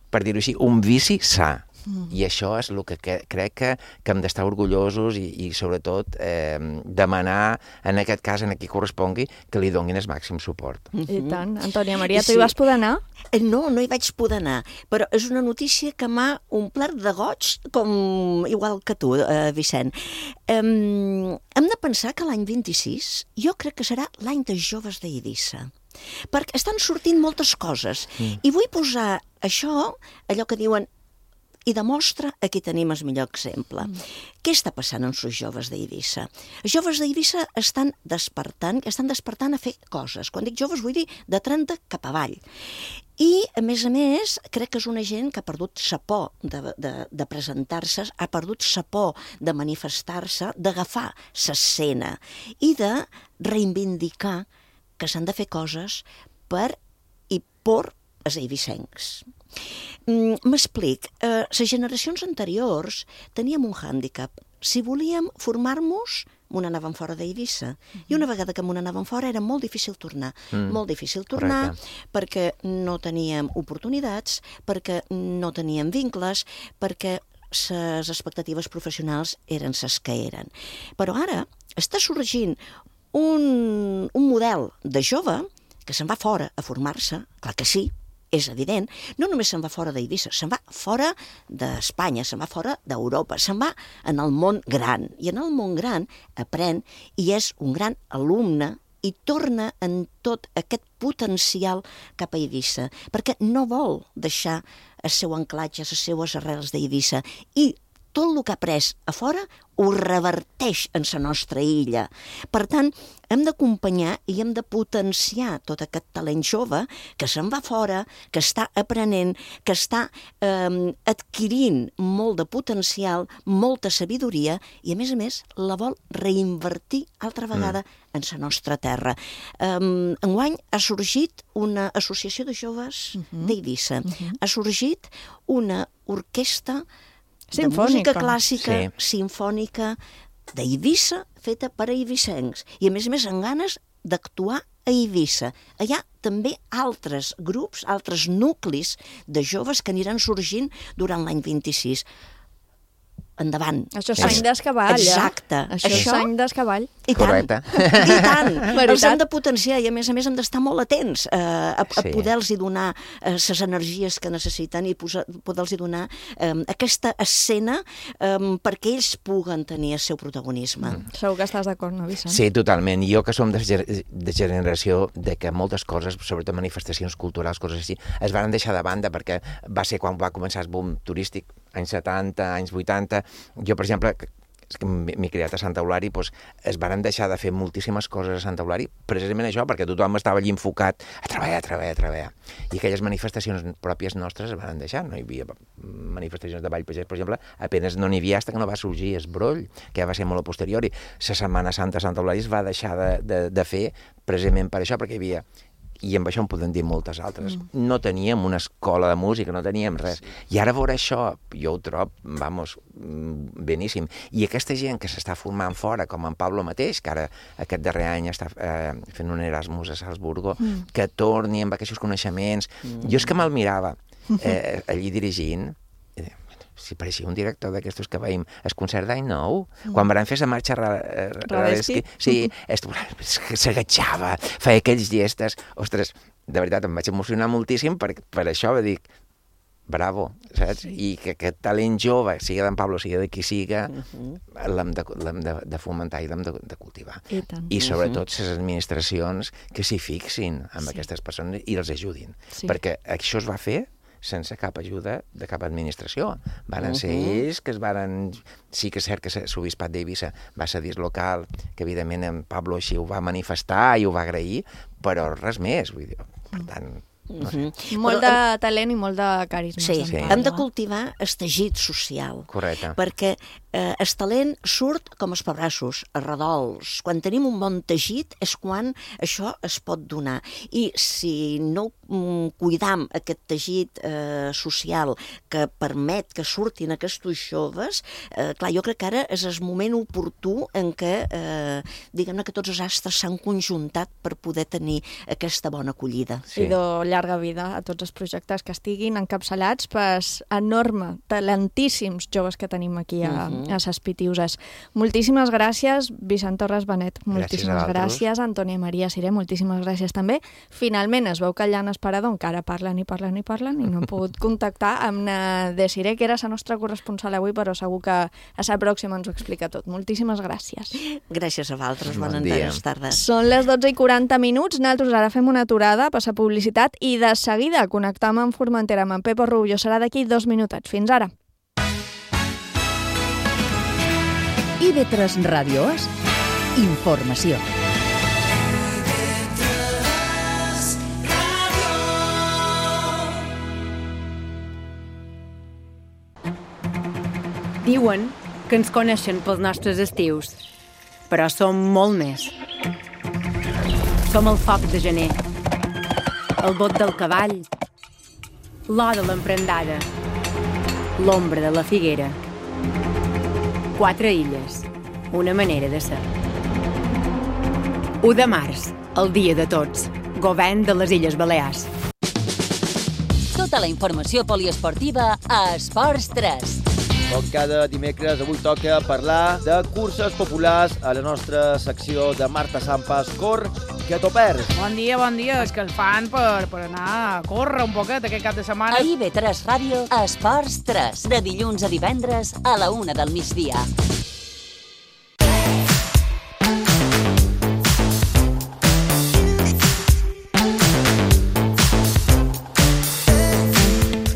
per dir-ho així, un vici sa. I això és el que crec que hem d'estar orgullosos i sobretot demanar, en aquest cas, en qui correspongui, que li donin el màxim suport. I tant. Antònia Maria, tu hi vas poder anar? No hi vaig poder anar, però és una notícia que m'ha omplert de goig, igual que tu, Vicent. Hem de pensar que l'any 26 jo crec que serà l'any dels joves d'Eivissa, perquè estan sortint moltes coses. I vull posar això, allò que diuen, i demostra aquí tenim el millor exemple. Què està passant amb els joves d'Eivissa? Els joves d'Eivissa estan despertant a fer coses. Quan dic joves vull dir de 30 cap avall. I, a més, crec que és una gent que ha perdut sa por de presentar-se, ha perdut sa por de manifestar-se, d'agafar l'escena i de reivindicar que s'han de fer coses per els eivissencs. M'explic. Les generacions anteriors teníem un hàndicap. Si volíem formar-nos, m'on anàvem fora d'Eivissa. I una vegada que m'on anàvem fora era molt difícil tornar. Molt difícil tornar perquè no teníem oportunitats, perquè no teníem vincles, perquè les expectatives professionals eren les que eren. Però ara està sorgint un model de jove que se'n va fora a formar-se, clar que sí, és evident, no només se'n va fora d'Eivissa, se'n va fora d'Espanya, se'n va fora d'Europa, se'n va en el món gran. I en el món gran aprèn i és un gran alumne i torna en tot aquest potencial cap a Eivissa, perquè no vol deixar el seu anclatge, les seues arrels d'Eivissa, i tot el que ha après a fora ho reverteix en la nostra illa. Per tant, hem d'acompanyar i hem de potenciar tot aquest talent jove que se'n va fora, que està aprenent, que està adquirint molt de potencial, molta sabidoria i, a més, la vol reinvertir altra vegada en la nostra terra. Enguany ha sorgit una associació de joves d'Eivissa. Ha sorgit una orquestra de música clàssica, simfònica, d'Eivissa, feta per eivissencs. I, a més, amb ganes d'actuar a Eivissa. Hi ha també altres grups, altres nuclis de joves que aniran sorgint durant l'any 26. endavant. Això és sany d'escavall, Exacte. Això és sany d'escavall. I tant, Correcte. i tant. Veritat. Els hem de potenciar i a més hem d'estar molt atents a Sí. poder-los donar les energies que necessiten i poder-los donar aquesta escena perquè ells puguen tenir el seu protagonisme. Segur que estàs d'acord, no, Vicent? Sí, totalment. Jo que som de generació de que moltes coses, sobretot manifestacions culturals, coses així, es van deixar de banda perquè va ser quan va començar el boom turístic, anys 70, anys 80. Jo, per exemple, que m'he criat a Santa Eulària, doncs es van deixar de fer moltíssimes coses a Santa Eulària, precisament això, perquè tothom estava allí enfocat a treballar. I aquelles manifestacions pròpies nostres es van deixar. No hi havia manifestacions de Vall Pagès, per exemple, apenas no n'hi havia fins que no va sorgir el broll, que ja va ser molt a posteriori. La Setmana Santa a Santa Eulària es va deixar de fer precisament per això, perquè hi havia... I amb això en podem dir moltes altres. No teníem una escola de música, no teníem res. I ara veure això, jo ho trobo, beníssim. I aquesta gent que s'està formant fora, com en Pablo mateix, que ara aquest darrer any està fent un Erasmus a Salzburgo, que torni amb aquests coneixements. Jo és que me'l mirava allí dirigint, si pareixia un director d'aquestos que veiem el concert d'any nou, quan van fer la marxa Radetzky, sí, s'agatxava, feia aquells gestes, ostres, de veritat, em vaig emocionar moltíssim per això, va dir, bravo, saps? I que aquest talent jove, sigui d'en Pablo, sigui de qui siga, l'hem de fomentar i l'hem de cultivar. I sobretot les administracions que s'hi fixin amb aquestes persones i els ajudin, perquè això es va fer sense cap ajuda de cap administració. Varen ser ells que es varen... Sí que és cert que l'Obispat d'Eivissa va ser dislocal, que evidentment en Pablo així ho va manifestar i ho va agrair, però res més. Vull dir, per tant... No sé. Molt de talent i molt de carisma. Sí, hem de cultivar el teixit social. Correcte. Perquè el talent surt com els pebrassos, a redols. Quan tenim un bon teixit és quan això es pot donar. I si no cuidam aquest teixit social que permet que surtin aquests joves, clar, jo crec que ara és el moment oportú en què, diguem-ne, que tots els astres s'han conjuntat per poder tenir aquesta bona acollida. I de llarga vida a tots els projectes que estiguin encapçalats per enorme, talentíssims joves que tenim aquí a ses Pitiuses. Moltíssimes gràcies, Vicent Torres Benet. Moltíssimes gràcies, Antònia Maria Siré. Moltíssimes gràcies també. Finalment es veu que allà en Esperador encara parlen i no han pogut contactar amb na Desiré, que era la nostra corresponsal avui, però segur que a la pròxima ens ho explica tot. Moltíssimes gràcies. Gràcies a vosaltres. Bones tardes. Són les 12:40. Nosaltres ara fem una aturada per la publicitat i de seguida connectam amb Formentera amb en Pepo Rubio. Serà d'aquí 2 minutets. Fins ara. IB3 Ràdio És informació. Diuen que ens coneixen pels nostres estius, però som molt més. Som el foc de gener, el bot del cavall, l'or de l'emprendada, l'ombra de la figuera. 4 illes, una manera de ser. 1 de març, el dia de tots, govern de les Illes Balears. Tota la informació poliesportiva a Esports 3. Com cada dimecres, avui toca parlar de curses populars a la nostra secció de Marta Sampas Cor, que t'ho perds. Bon dia, és que el fan per anar a córrer un poquet aquest cap de setmana. A IB3 Ràdio, Esports 3, de dilluns a divendres a la 1 del migdia.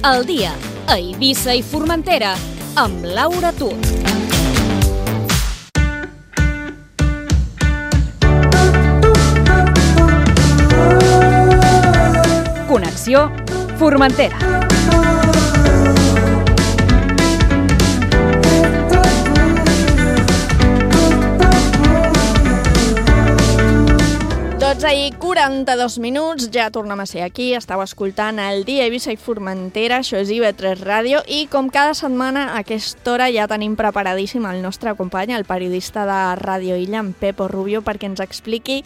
El dia a Eivissa i Formentera amb Laura Tut. Connexió Formentera. I 42 minuts, ja tornem a ser aquí, estàu escoltant el dia a Eivissa i Formentera, això és IB3 Ràdio, i com cada setmana a aquesta hora ja tenim preparadíssim el nostre company, el periodista de Ràdio Illa, en Pepo Rubio, perquè ens expliqui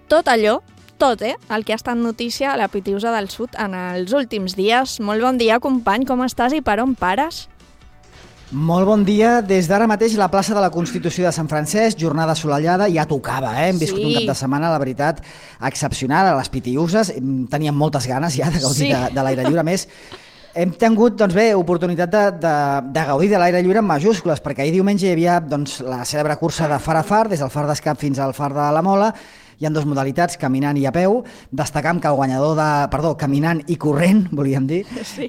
tot allò, el que ha estat notícia a la Pitiusa del Sud en els últims dies. Molt bon dia, company, com estàs i per on pares? Molt bon dia. Des d'ara mateix la plaça de la Constitució de Sant Francesc, jornada assolellada, ja tocava, Hem viscut un cap de setmana, la veritat, excepcional a les Pitiuses. Teníem moltes ganes ja de gaudir de l'aire lliure. A més, hem tingut oportunitat de gaudir de l'aire lliure en majúscules, perquè ahir diumenge hi havia la cèlebre cursa de far a far, des del far d'Escap fins al far de la Mola. Hi ha 2 modalitats, caminant i a peu. Destacam que el guanyador caminant i corrent, volíem dir. Sí.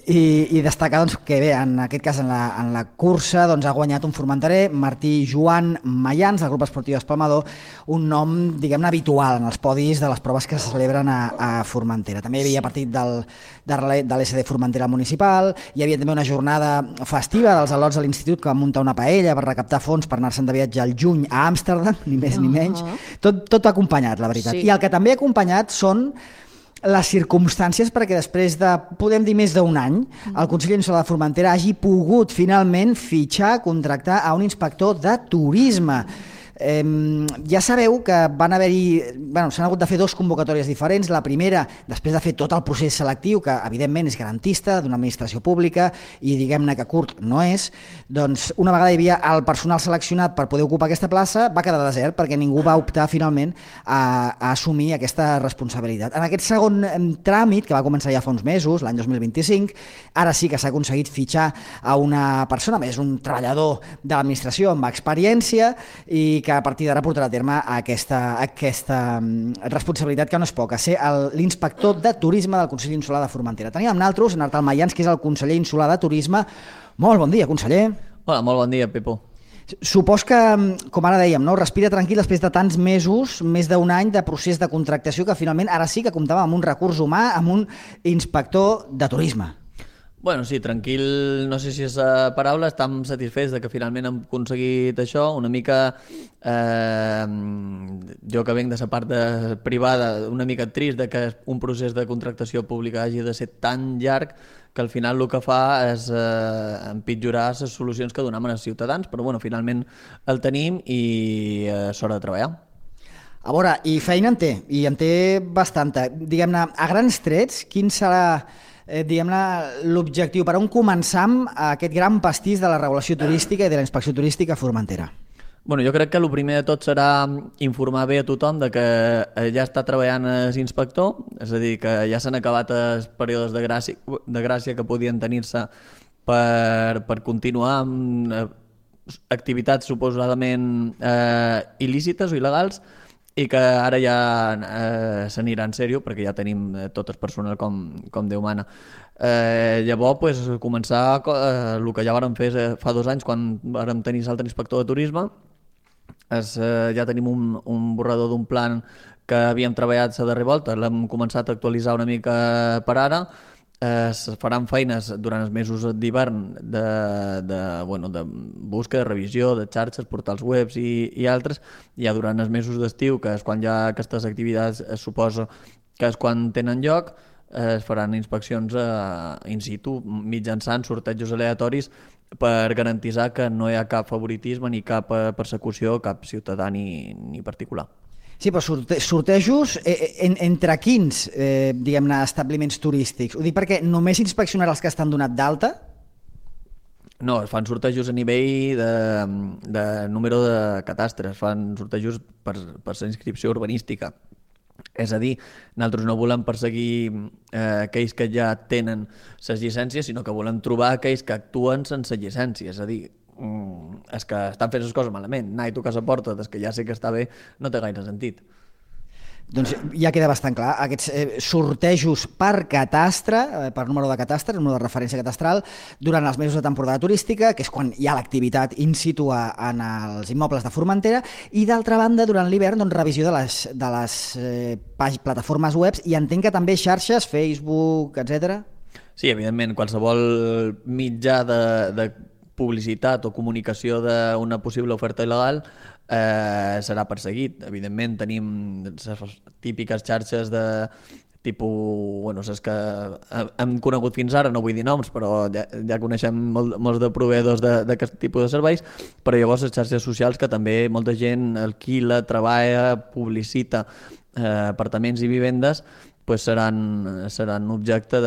I destacar que bé, en aquest cas en la cursa ha guanyat un formenterer, Martí Joan Mayans, del grup esportiu Espalmador, un nom, diguem-ne, habitual en els podis de les proves que se celebren a Formentera. També hi havia partit de l'SD Formentera Municipal, hi havia també una jornada festiva dels al·lots de l'Institut que van muntar una paella per recaptar fons per anar-se'n de viatge al juny a Amsterdam, ni més ni menys. Tot acompanyat, la veritat. I el que també ha acompanyat són les circumstàncies perquè després de, podem dir, més d'un any, el Consell Insular de Formentera hagi pogut finalment contractar a un inspector de turisme. Ja sabeu que s'han hagut de fer 2 convocatòries diferents. La primera, després de fer tot el procés selectiu, que evidentment és garantista d'una administració pública i diguem-ne que curt no és, doncs una vegada hi havia el personal seleccionat per poder ocupar aquesta plaça, va quedar desert perquè ningú va optar finalment a assumir aquesta responsabilitat. En aquest segon tràmit, que va començar ja fa uns mesos, l'any 2025, ara sí que s'ha aconseguit fitxar a una persona, més un treballador de l'administració amb experiència i que a partir d'ara portarà a terme aquesta responsabilitat que no és poca, ser l'inspector de turisme del Consell Insular de Formentera. Tenim amb nosaltres en Artal Mayans, que és el conseller insular de turisme. Molt bon dia, conseller. Hola, molt bon dia, Pepo. Supos que, com ara dèiem, respira tranquil després de tants mesos, més d'un any de procés de contractació, que finalment ara sí que comptava amb un recurs humà, amb un inspector de turisme. Bueno, sí, tranquil, no sé si és la paraula, estem satisfets de que finalment hem aconseguit això, una mica, jo que venc de la part privada, una mica trist de que un procés de contractació pública hagi de ser tan llarg que al final el que fa és empitjorar les solucions que donem als ciutadans, però bueno, finalment el tenim i és hora de treballar. A veure, i feina en té, i en té bastanta. Diguem-ne, a grans trets, quin serà l'objectiu per on començam aquest gran pastís de la regulació turística i de la inspecció turística a Formentera? Bueno, jo crec que el primer de tot serà informar bé a tothom de que ja està treballant l'inspector, és a dir, que ja s'han acabat els períodes de gràcia que podien tenir-se per continuar amb activitats suposadament il·lícites o il·legals, i que ara ja s'anirà en sèrio perquè ja tenim tot el personal com Déu mana. Llavors, començar el que ja vàrem fer fa 2 anys quan vàrem tenir l'altre inspector de turisme. Ja tenim un borrador d'un plan que havíem treballat la darrera volta, l'hem començat a actualitzar una mica per ara. Es faran feines durant els mesos d'hivern de búsqueda, de revisió, de xarxes, portals webs i altres. Ja durant els mesos d'estiu, que és quan ja aquestes activitats es suposa que és quan tenen lloc, es faran inspeccions in situ mitjançant sortejos aleatoris per garantir que no hi ha cap favoritisme ni cap persecució a cap ciutadà ni particular. Sí, però sortejos entre quins, diguem-ne, establiments turístics? Ho dic perquè només inspeccionarà els que estan donat d'alta? No, es fan sortejos a nivell de número de catastres, es fan sortejos per la inscripció urbanística. És a dir, nosaltres no volem perseguir aquells que ja tenen les llicències, sinó que volem trobar aquells que actuen sense llicència, és a dir, és que estan fent les coses malament, anar i tocar la porta des que ja sé que està bé no té gaire sentit. Doncs ja queda bastant clar, aquests sortejos per catastre, per número de catastre, número de referència catastral, durant els mesos de temporada turística, que és quan hi ha l'activitat in situ en els immobles de Formentera, i d'altra banda, durant l'hivern, revisió de les plataformes webs, i entenc que també xarxes, Facebook, etc. Sí, evidentment, qualsevol mitjà de publicitat o comunicació d'una possible oferta il·legal serà perseguit. Evidentment tenim les típiques xarxes de tipus, les que hem conegut fins ara, no vull dir noms, però ja coneixem molts de proveïdors d'aquest tipus de serveis, però llavors les xarxes socials que també molta gent alquila, treballa, publicita apartaments i vivendes, pues seran objecte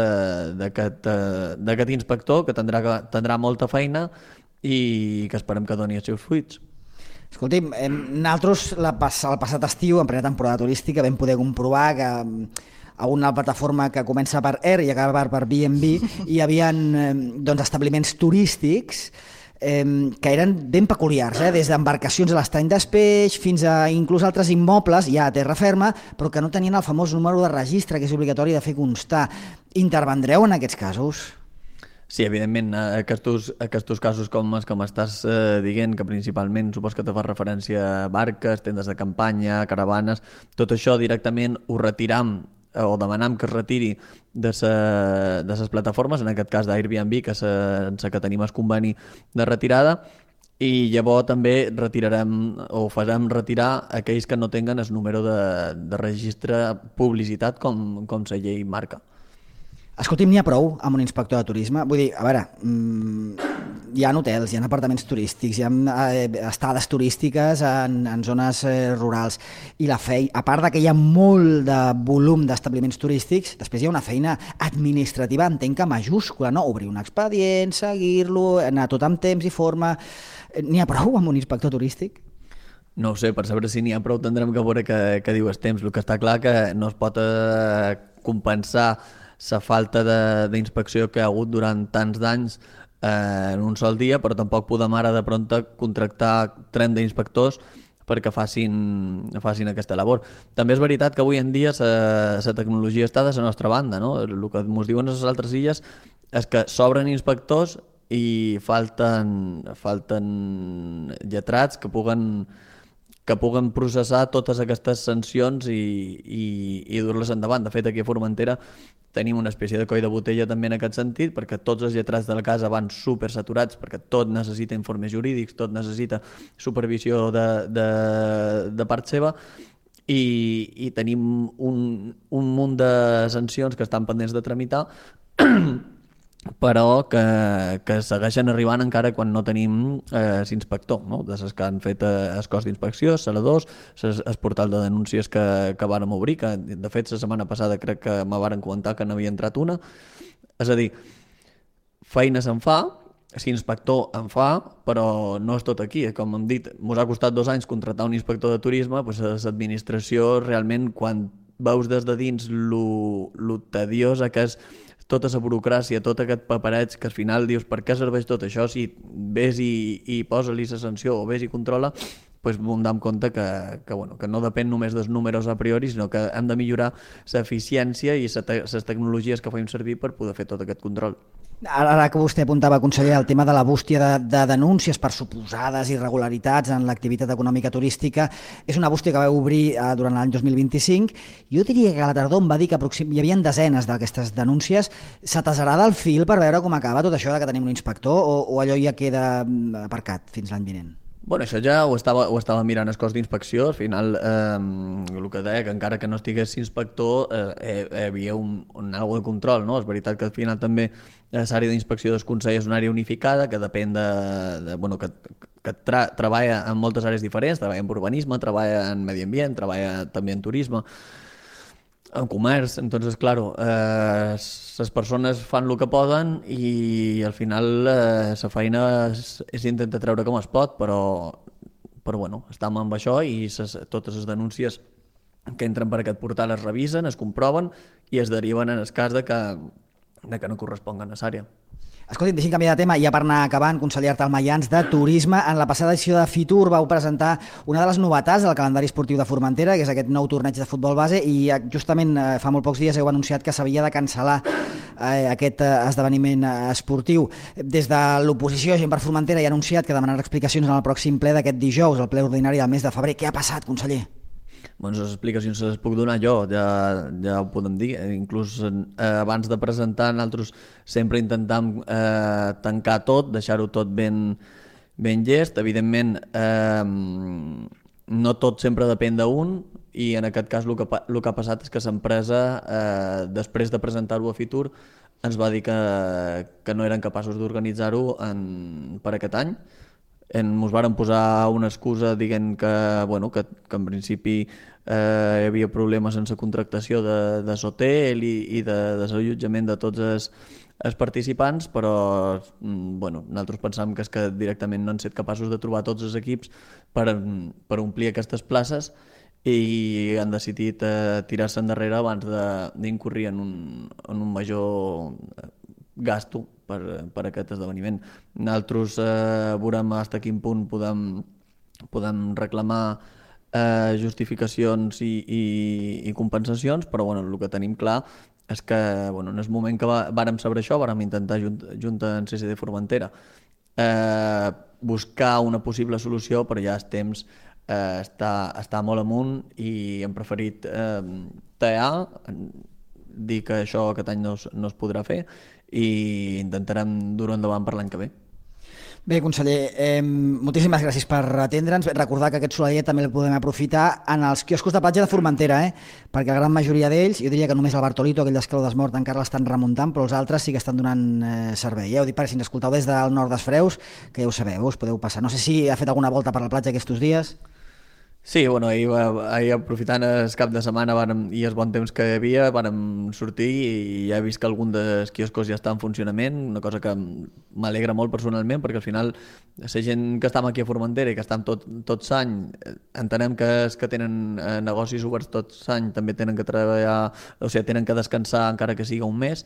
d'aquest inspector que tindrà molta feina i que esperem que doni els seus fruits. Escolti'm, nosaltres el passat estiu, en plena temporada turística, vam poder comprovar que a una plataforma que comença per Air i acaba per B&B hi havia establiments turístics que eren ben peculiars, des d'embarcacions a l'estany d'Espeix fins a inclús altres immobles ja a terra ferma, però que no tenien el famós número de registre que és obligatori de fer constar. Intervendreu en aquests casos? Sí, evidentment, aquests casos com els que m'estàs dient, que principalment supos que te fa referència a barques, tendes de campanya, caravanes, tot això directament ho retiram o demanam que es retiri de les plataformes, en aquest cas d'Airbnb, que sense que tenim el conveni de retirada, i llavors també retirarem o farem retirar aquells que no tenen el número de registre publicitat com la llei marca. Escolti'm, n'hi ha prou amb un inspector de turisme? Vull dir, a veure, hi ha hotels, hi ha apartaments turístics, hi ha estades turístiques en zones rurals, i la feina, a part que hi ha molt de volum d'establiments turístics, després hi ha una feina administrativa, entenc que majúscula, no? Obrir un expedient, seguir-lo, anar tot amb temps i forma... N'hi ha prou amb un inspector turístic? No ho sé, per saber si n'hi ha prou tindrem que veure què diu el temps. El que està clar que no es pot compensar la falta d'inspecció que ha hagut durant tants d'anys en un sol dia, però tampoc podem ara de prompte contractar 30 inspectors perquè facin aquesta labor. També és veritat que avui en dia la tecnologia està de la nostra banda, no? El que ens diuen a les altres illes és que sobren inspectors i falten lletrats que puguen processar totes aquestes sancions i dur-les endavant. De fet, aquí a Formentera tenim una espècie de coll de botella també en aquest sentit, perquè tots els lletrats de la casa van supersaturats, perquè tot necessita informes jurídics, tot necessita supervisió de part seva, i tenim un munt de sancions que estan pendents de tramitar, però que segueixen arribant encara quan no tenim l'inspector, no? De les que han fet el cos d'inspecció, saladors, el portal de denúncies que vàrem obrir, que de fet la setmana passada crec que me varen comentar que n'havia entrat una. És a dir, feina se'n fa, l'inspector en fa, però no és tot aquí. Com hem dit, ens ha costat 2 anys contractar un inspector de turisme, doncs l'administració realment, quan veus des de dins lo tediosa que és tota la burocràcia, tot aquest papereig, que al final dius per què serveix tot això si ves i posa-li la sanció o ves i controla, doncs em donem compte que no depèn només dels números a priori, sinó que hem de millorar l'eficiència i les tecnologies que fem servir per poder fer tot aquest control. Ara que vostè apuntava, conseller, el tema de la bústia de denúncies per suposades irregularitats en l'activitat econòmica turística, és una bústia que va obrir durant l'any 2025. Jo diria que a la tardor em va dir que hi havia desenes d'aquestes denúncies. S'atesarà el fil per veure com acaba tot això que tenim un inspector o allò ja queda aparcat fins l'any vinent? Bueno, això ja ho estava mirant el cos d'inspecció. Al final, el que deia, que encara que no estigués inspector, hi havia un algo de control, no? És veritat que al final també l'àrea d'inspecció del Consell és una àrea unificada que depèn que treballa en moltes àrees diferents, treballa en urbanisme, treballa en medi ambient, treballa també en turisme, en comerç. Entonces, claro, les persones fan el que poden i al final la feina és intentar treure com es pot, però bueno, estem amb això i totes les denúncies que entren per aquest portal es revisen, es comproven i es deriven en el cas de que no corresponguen a l'àrea. Escolti'm, deixi'm canviar de tema, ja per anar acabant, conseller Artal Mayans, de Turisme. En la passada edició de Fitur vau presentar una de les novetats del calendari esportiu de Formentera, que és aquest nou torneig de futbol base, i justament fa molt pocs dies heu anunciat que s'havia de cancel·lar aquest esdeveniment esportiu. Des de l'oposició, Gent per Formentera, ha anunciat que demanarà explicacions en el pròxim ple d'aquest dijous, el ple ordinari del mes de febrer. Què ha passat, conseller? Bueno, les explicacions les puc donar jo, ja ho podem dir. Inclús abans de presentar, nosaltres sempre intentam tancar tot, deixar-ho tot ben llest. Evidentment, no tot sempre depèn d'un, i en aquest cas el que ha passat és que l'empresa, després de presentar-ho a Fitur, ens va dir que no eren capaços d'organitzar-ho per aquest any. ens varen posar una excusa dient que en principi hi havia problemes sense contractació de l'hotel i de desallotjament de tots els participants, però nosaltres pensàvem que és que directament no han estat capaços de trobar tots els equips per omplir aquestes places i han decidit tirar-se endarrere abans d'incorrir en un major gasto per aquest esdeveniment. Nosaltres veurem fins a quin punt podem reclamar justificacions i compensacions, però el que tenim clar és que en el moment que vàrem saber això vàrem intentar junta en CCD Formentera buscar una possible solució, però ja el temps està molt amunt i hem preferit tallar, dir que això aquest any no es podrà fer i intentarem dur endavant per l'any que ve. Bé, conseller, moltíssimes gràcies per atendre'ns. Recordar que aquest solaller també el podem aprofitar en els quioscos de platja de Formentera, perquè la gran majoria d'ells, jo diria que només el Bartolito, aquell d'Esclau d'Esmort, encara l'estan remuntant, però els altres sí que estan donant servei. Ja ho dic, si ens escoltau des del nord dels Freus, que ja ho sabeu, us podeu passar. No sé si ha fet alguna volta per la platja aquests dies. Sí, ahir aprofitant el cap de setmana i el bon temps que hi havia, vàrem sortir i ja he vist que algun dels quioscos ja està en funcionament, una cosa que m'alegra molt personalment, perquè al final la gent que estem aquí a Formentera i que estem tot l'any, entenem que els que tenen negocis oberts tot l'any també tenen que treballar, o sigui, tenen que descansar encara que siga un mes,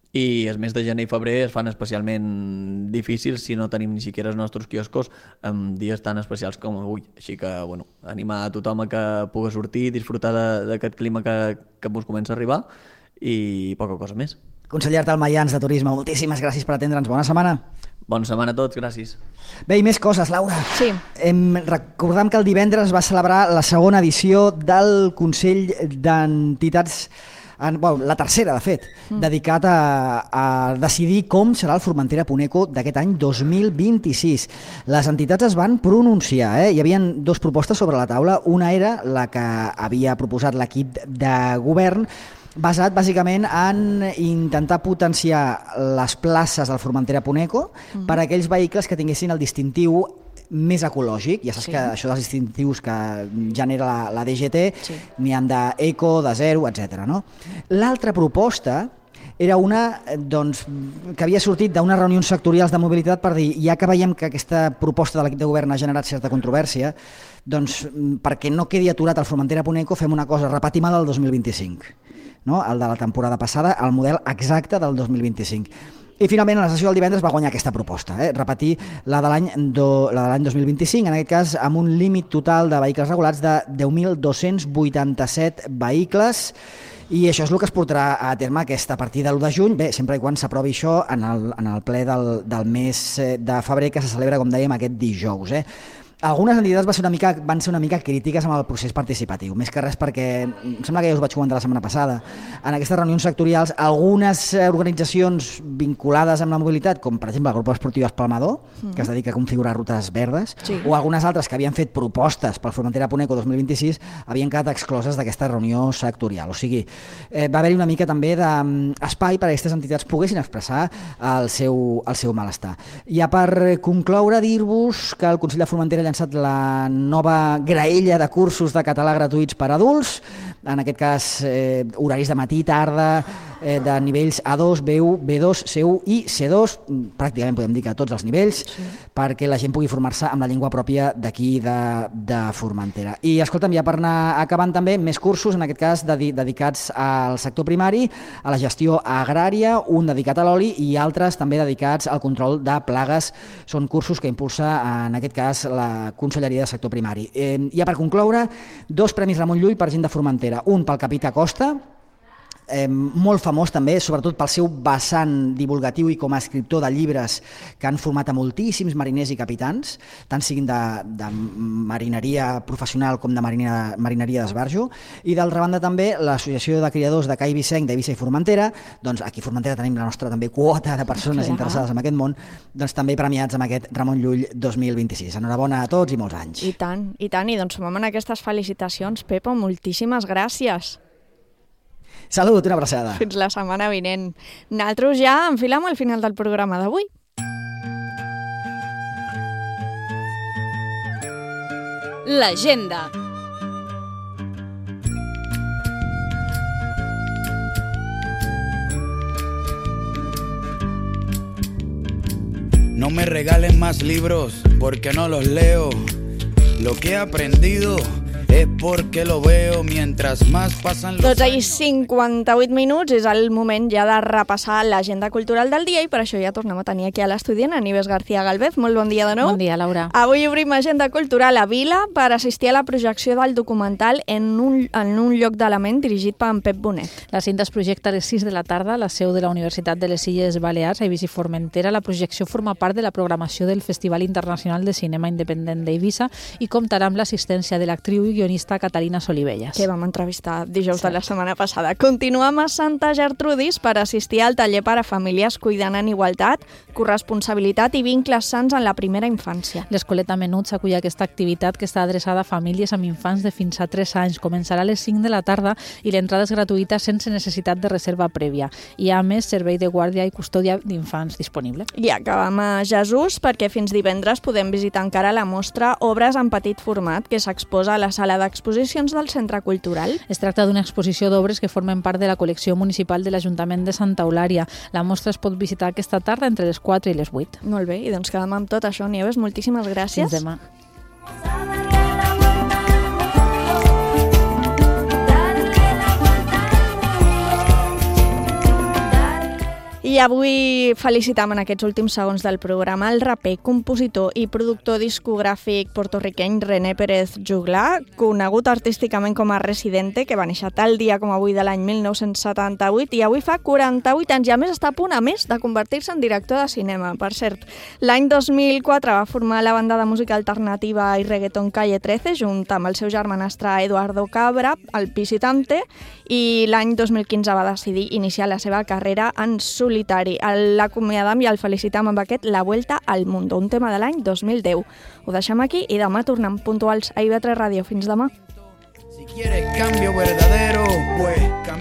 i els mesos de gener i febrer es fan especialment difícils si no tenim ni siquiera els nostres quioscos en dies tan especials com avui. Així que, animar a tothom a que pugui sortir, disfrutar d'aquest clima que ens comença a arribar i poca cosa més. Conseller Artal Mayans, de Turisme, moltíssimes gràcies per atendre'ns. Bona setmana. Bona setmana a tots, gràcies. Bé, i més coses, Laura. Sí. Recordem que el divendres va celebrar la segona edició del Consell d'Entitats, la tercera, de fet, dedicat a decidir com serà el Formentera Puneco d'aquest any 2026. Les entitats es van pronunciar, Hi havia dues propostes sobre la taula. Una era la que havia proposat l'equip de govern, basat bàsicament en intentar potenciar les places del Formentera Puneco per a aquells vehicles que tinguessin el distintiu més ecològic. Ja saps que això dels distintius que genera la DGT n'hi ha d'eco, de zero, etc. L'altra proposta era una que havia sortit d'unes reunions sectorials de mobilitat per dir, ja que veiem que aquesta proposta de l'equip de govern ha generat certa controvèrsia, doncs perquè no quedi aturat el Formentera Puneco fem una cosa, repetim el del 2025, el de la temporada passada, el model exacte del 2025. I finalment a la sessió del divendres va guanyar aquesta proposta, repetir la de l'any 2025, en aquest cas amb un límit total de vehicles regulats de 10.287 vehicles, i això és el que es portarà a terme a partir de l'1 de juny, sempre i quan s'aprovi això en el ple del mes de febrer, que se celebra, com dèiem, aquest dijous. Algunes entitats van ser una mica crítiques amb el procés participatiu, més que res perquè, em sembla que ja us vaig comentar la setmana passada, en aquestes reunions sectorials, algunes organitzacions vinculades amb la mobilitat, com per exemple el grup esportiu Espalmador, que es dedica a configurar rutes verdes, o algunes altres que havien fet propostes pel Formentera Puneco 2026, havien quedat excloses d'aquesta reunió sectorial. O sigui, va haver-hi una mica també d'espai perquè aquestes entitats poguessin expressar el seu malestar. Ja per concloure, dir-vos que el Consell de Formentera llançat la nova graella de cursos de català gratuïts per a adults, en aquest cas horaris de matí, tarda, de nivells A2, B1, B2, C1 i C2, pràcticament podem dir que a tots els nivells, perquè la gent pugui formar-se amb la llengua pròpia d'aquí de Formentera. I escolta'm, ja per anar acabant també, més cursos, en aquest cas dedicats al sector primari, a la gestió agrària, un dedicat a l'oli i altres també dedicats al control de plagues. Són cursos que impulsa, en aquest cas, la Conselleria de Sector Primari. Ja per concloure, 2 premis Ramon Llull per gent de Formentera, un pel Capità Costa, molt famós també, sobretot pel seu vessant divulgatiu i com a escriptor de llibres que han format a moltíssims mariners i capitans, tant siguin de marineria professional com de marineria d'esbarjo, i d'altra banda també l'Associació de Criadors de Cai Vicenc d'Eivissa i Formentera, doncs aquí a Formentera tenim la nostra també quota de persones interessades en aquest món, doncs també premiats amb aquest Ramon Llull 2026. Enhorabona a tots i molts anys. I tant, i doncs sumem en aquestes felicitacions. Pepa, moltíssimes gràcies. Salut, una abraçada. Fins la setmana vinent. Nosaltres ja enfilem al final del programa d'avui. l'agenda. No me regalen más libros porque no los leo. Lo que he aprendido es porque lo veo mientras más pasan los 12 i 58 minuts és el moment ja de repassar l'agenda cultural del dia i per això ja tornem a tenir aquí a l'estudi a Nieves García Galvez. Molt bon dia de nou. Bon dia, Laura. Avui obrim agenda cultural a Vila per assistir a la projecció del documental en un lloc d'element dirigit per en Pep Bonet. La cinta es projecta a les 6 de la tarda a la seu de la Universitat de les Illes Balears, a Eivissa i Formentera. La projecció forma part de la programació del Festival Internacional de Cinema Independent d'Eivissa i comptarà amb l'assistència de l'actriu i guionista Caterina Solivelles. Que vam entrevistar dijous de la setmana passada. Continuem a Santa Gertrudis per assistir al taller per a famílies cuidant en igualtat, corresponsabilitat i vincles sants en la primera infància. L'Escoleta Menuts acull aquesta activitat que està adreçada a famílies amb infants de fins a 3 anys. Començarà a les 5 de la tarda i l'entrada és gratuïta sense necessitat de reserva prèvia. Hi ha, a més, servei de guàrdia i custòdia d'infants disponible. I acabem a Jesús perquè fins divendres podem visitar encara la mostra Obres en petit format que s'exposa a la sala d'exposicions del Centre Cultural. Es tracta d'una exposició d'obres que formen part de la col·lecció municipal de l'Ajuntament de Santa Eulària. La mostra es pot visitar aquesta tarda entre les 4 i les 8. Molt bé, i doncs quedem amb tot això. Nieves, moltíssimes gràcies. Fins demà. I avui felicitam en aquests últims segons del programa el raper, compositor i productor discogràfic portorriqueny René Pérez Juglar, conegut artísticament com a Residente, que va néixer tal dia com avui de l'any 1978 i avui fa 48 anys i a més està a punt a més de convertir-se en director de cinema. Per cert, l'any 2004 va formar la banda de música alternativa i reggaeton Calle 13 junt amb el seu germanastre Eduardo Cabra, el Visitante, i l'any 2015 va decidir iniciar la seva carrera en solitari. L'acomiadam i el felicitam amb aquest La Vuelta al Mundo, un tema de l'any 2010. Ho deixem aquí i demà tornem puntuals a IB3 Ràdio. Fins demà. Si quieres cambio verdadero, pues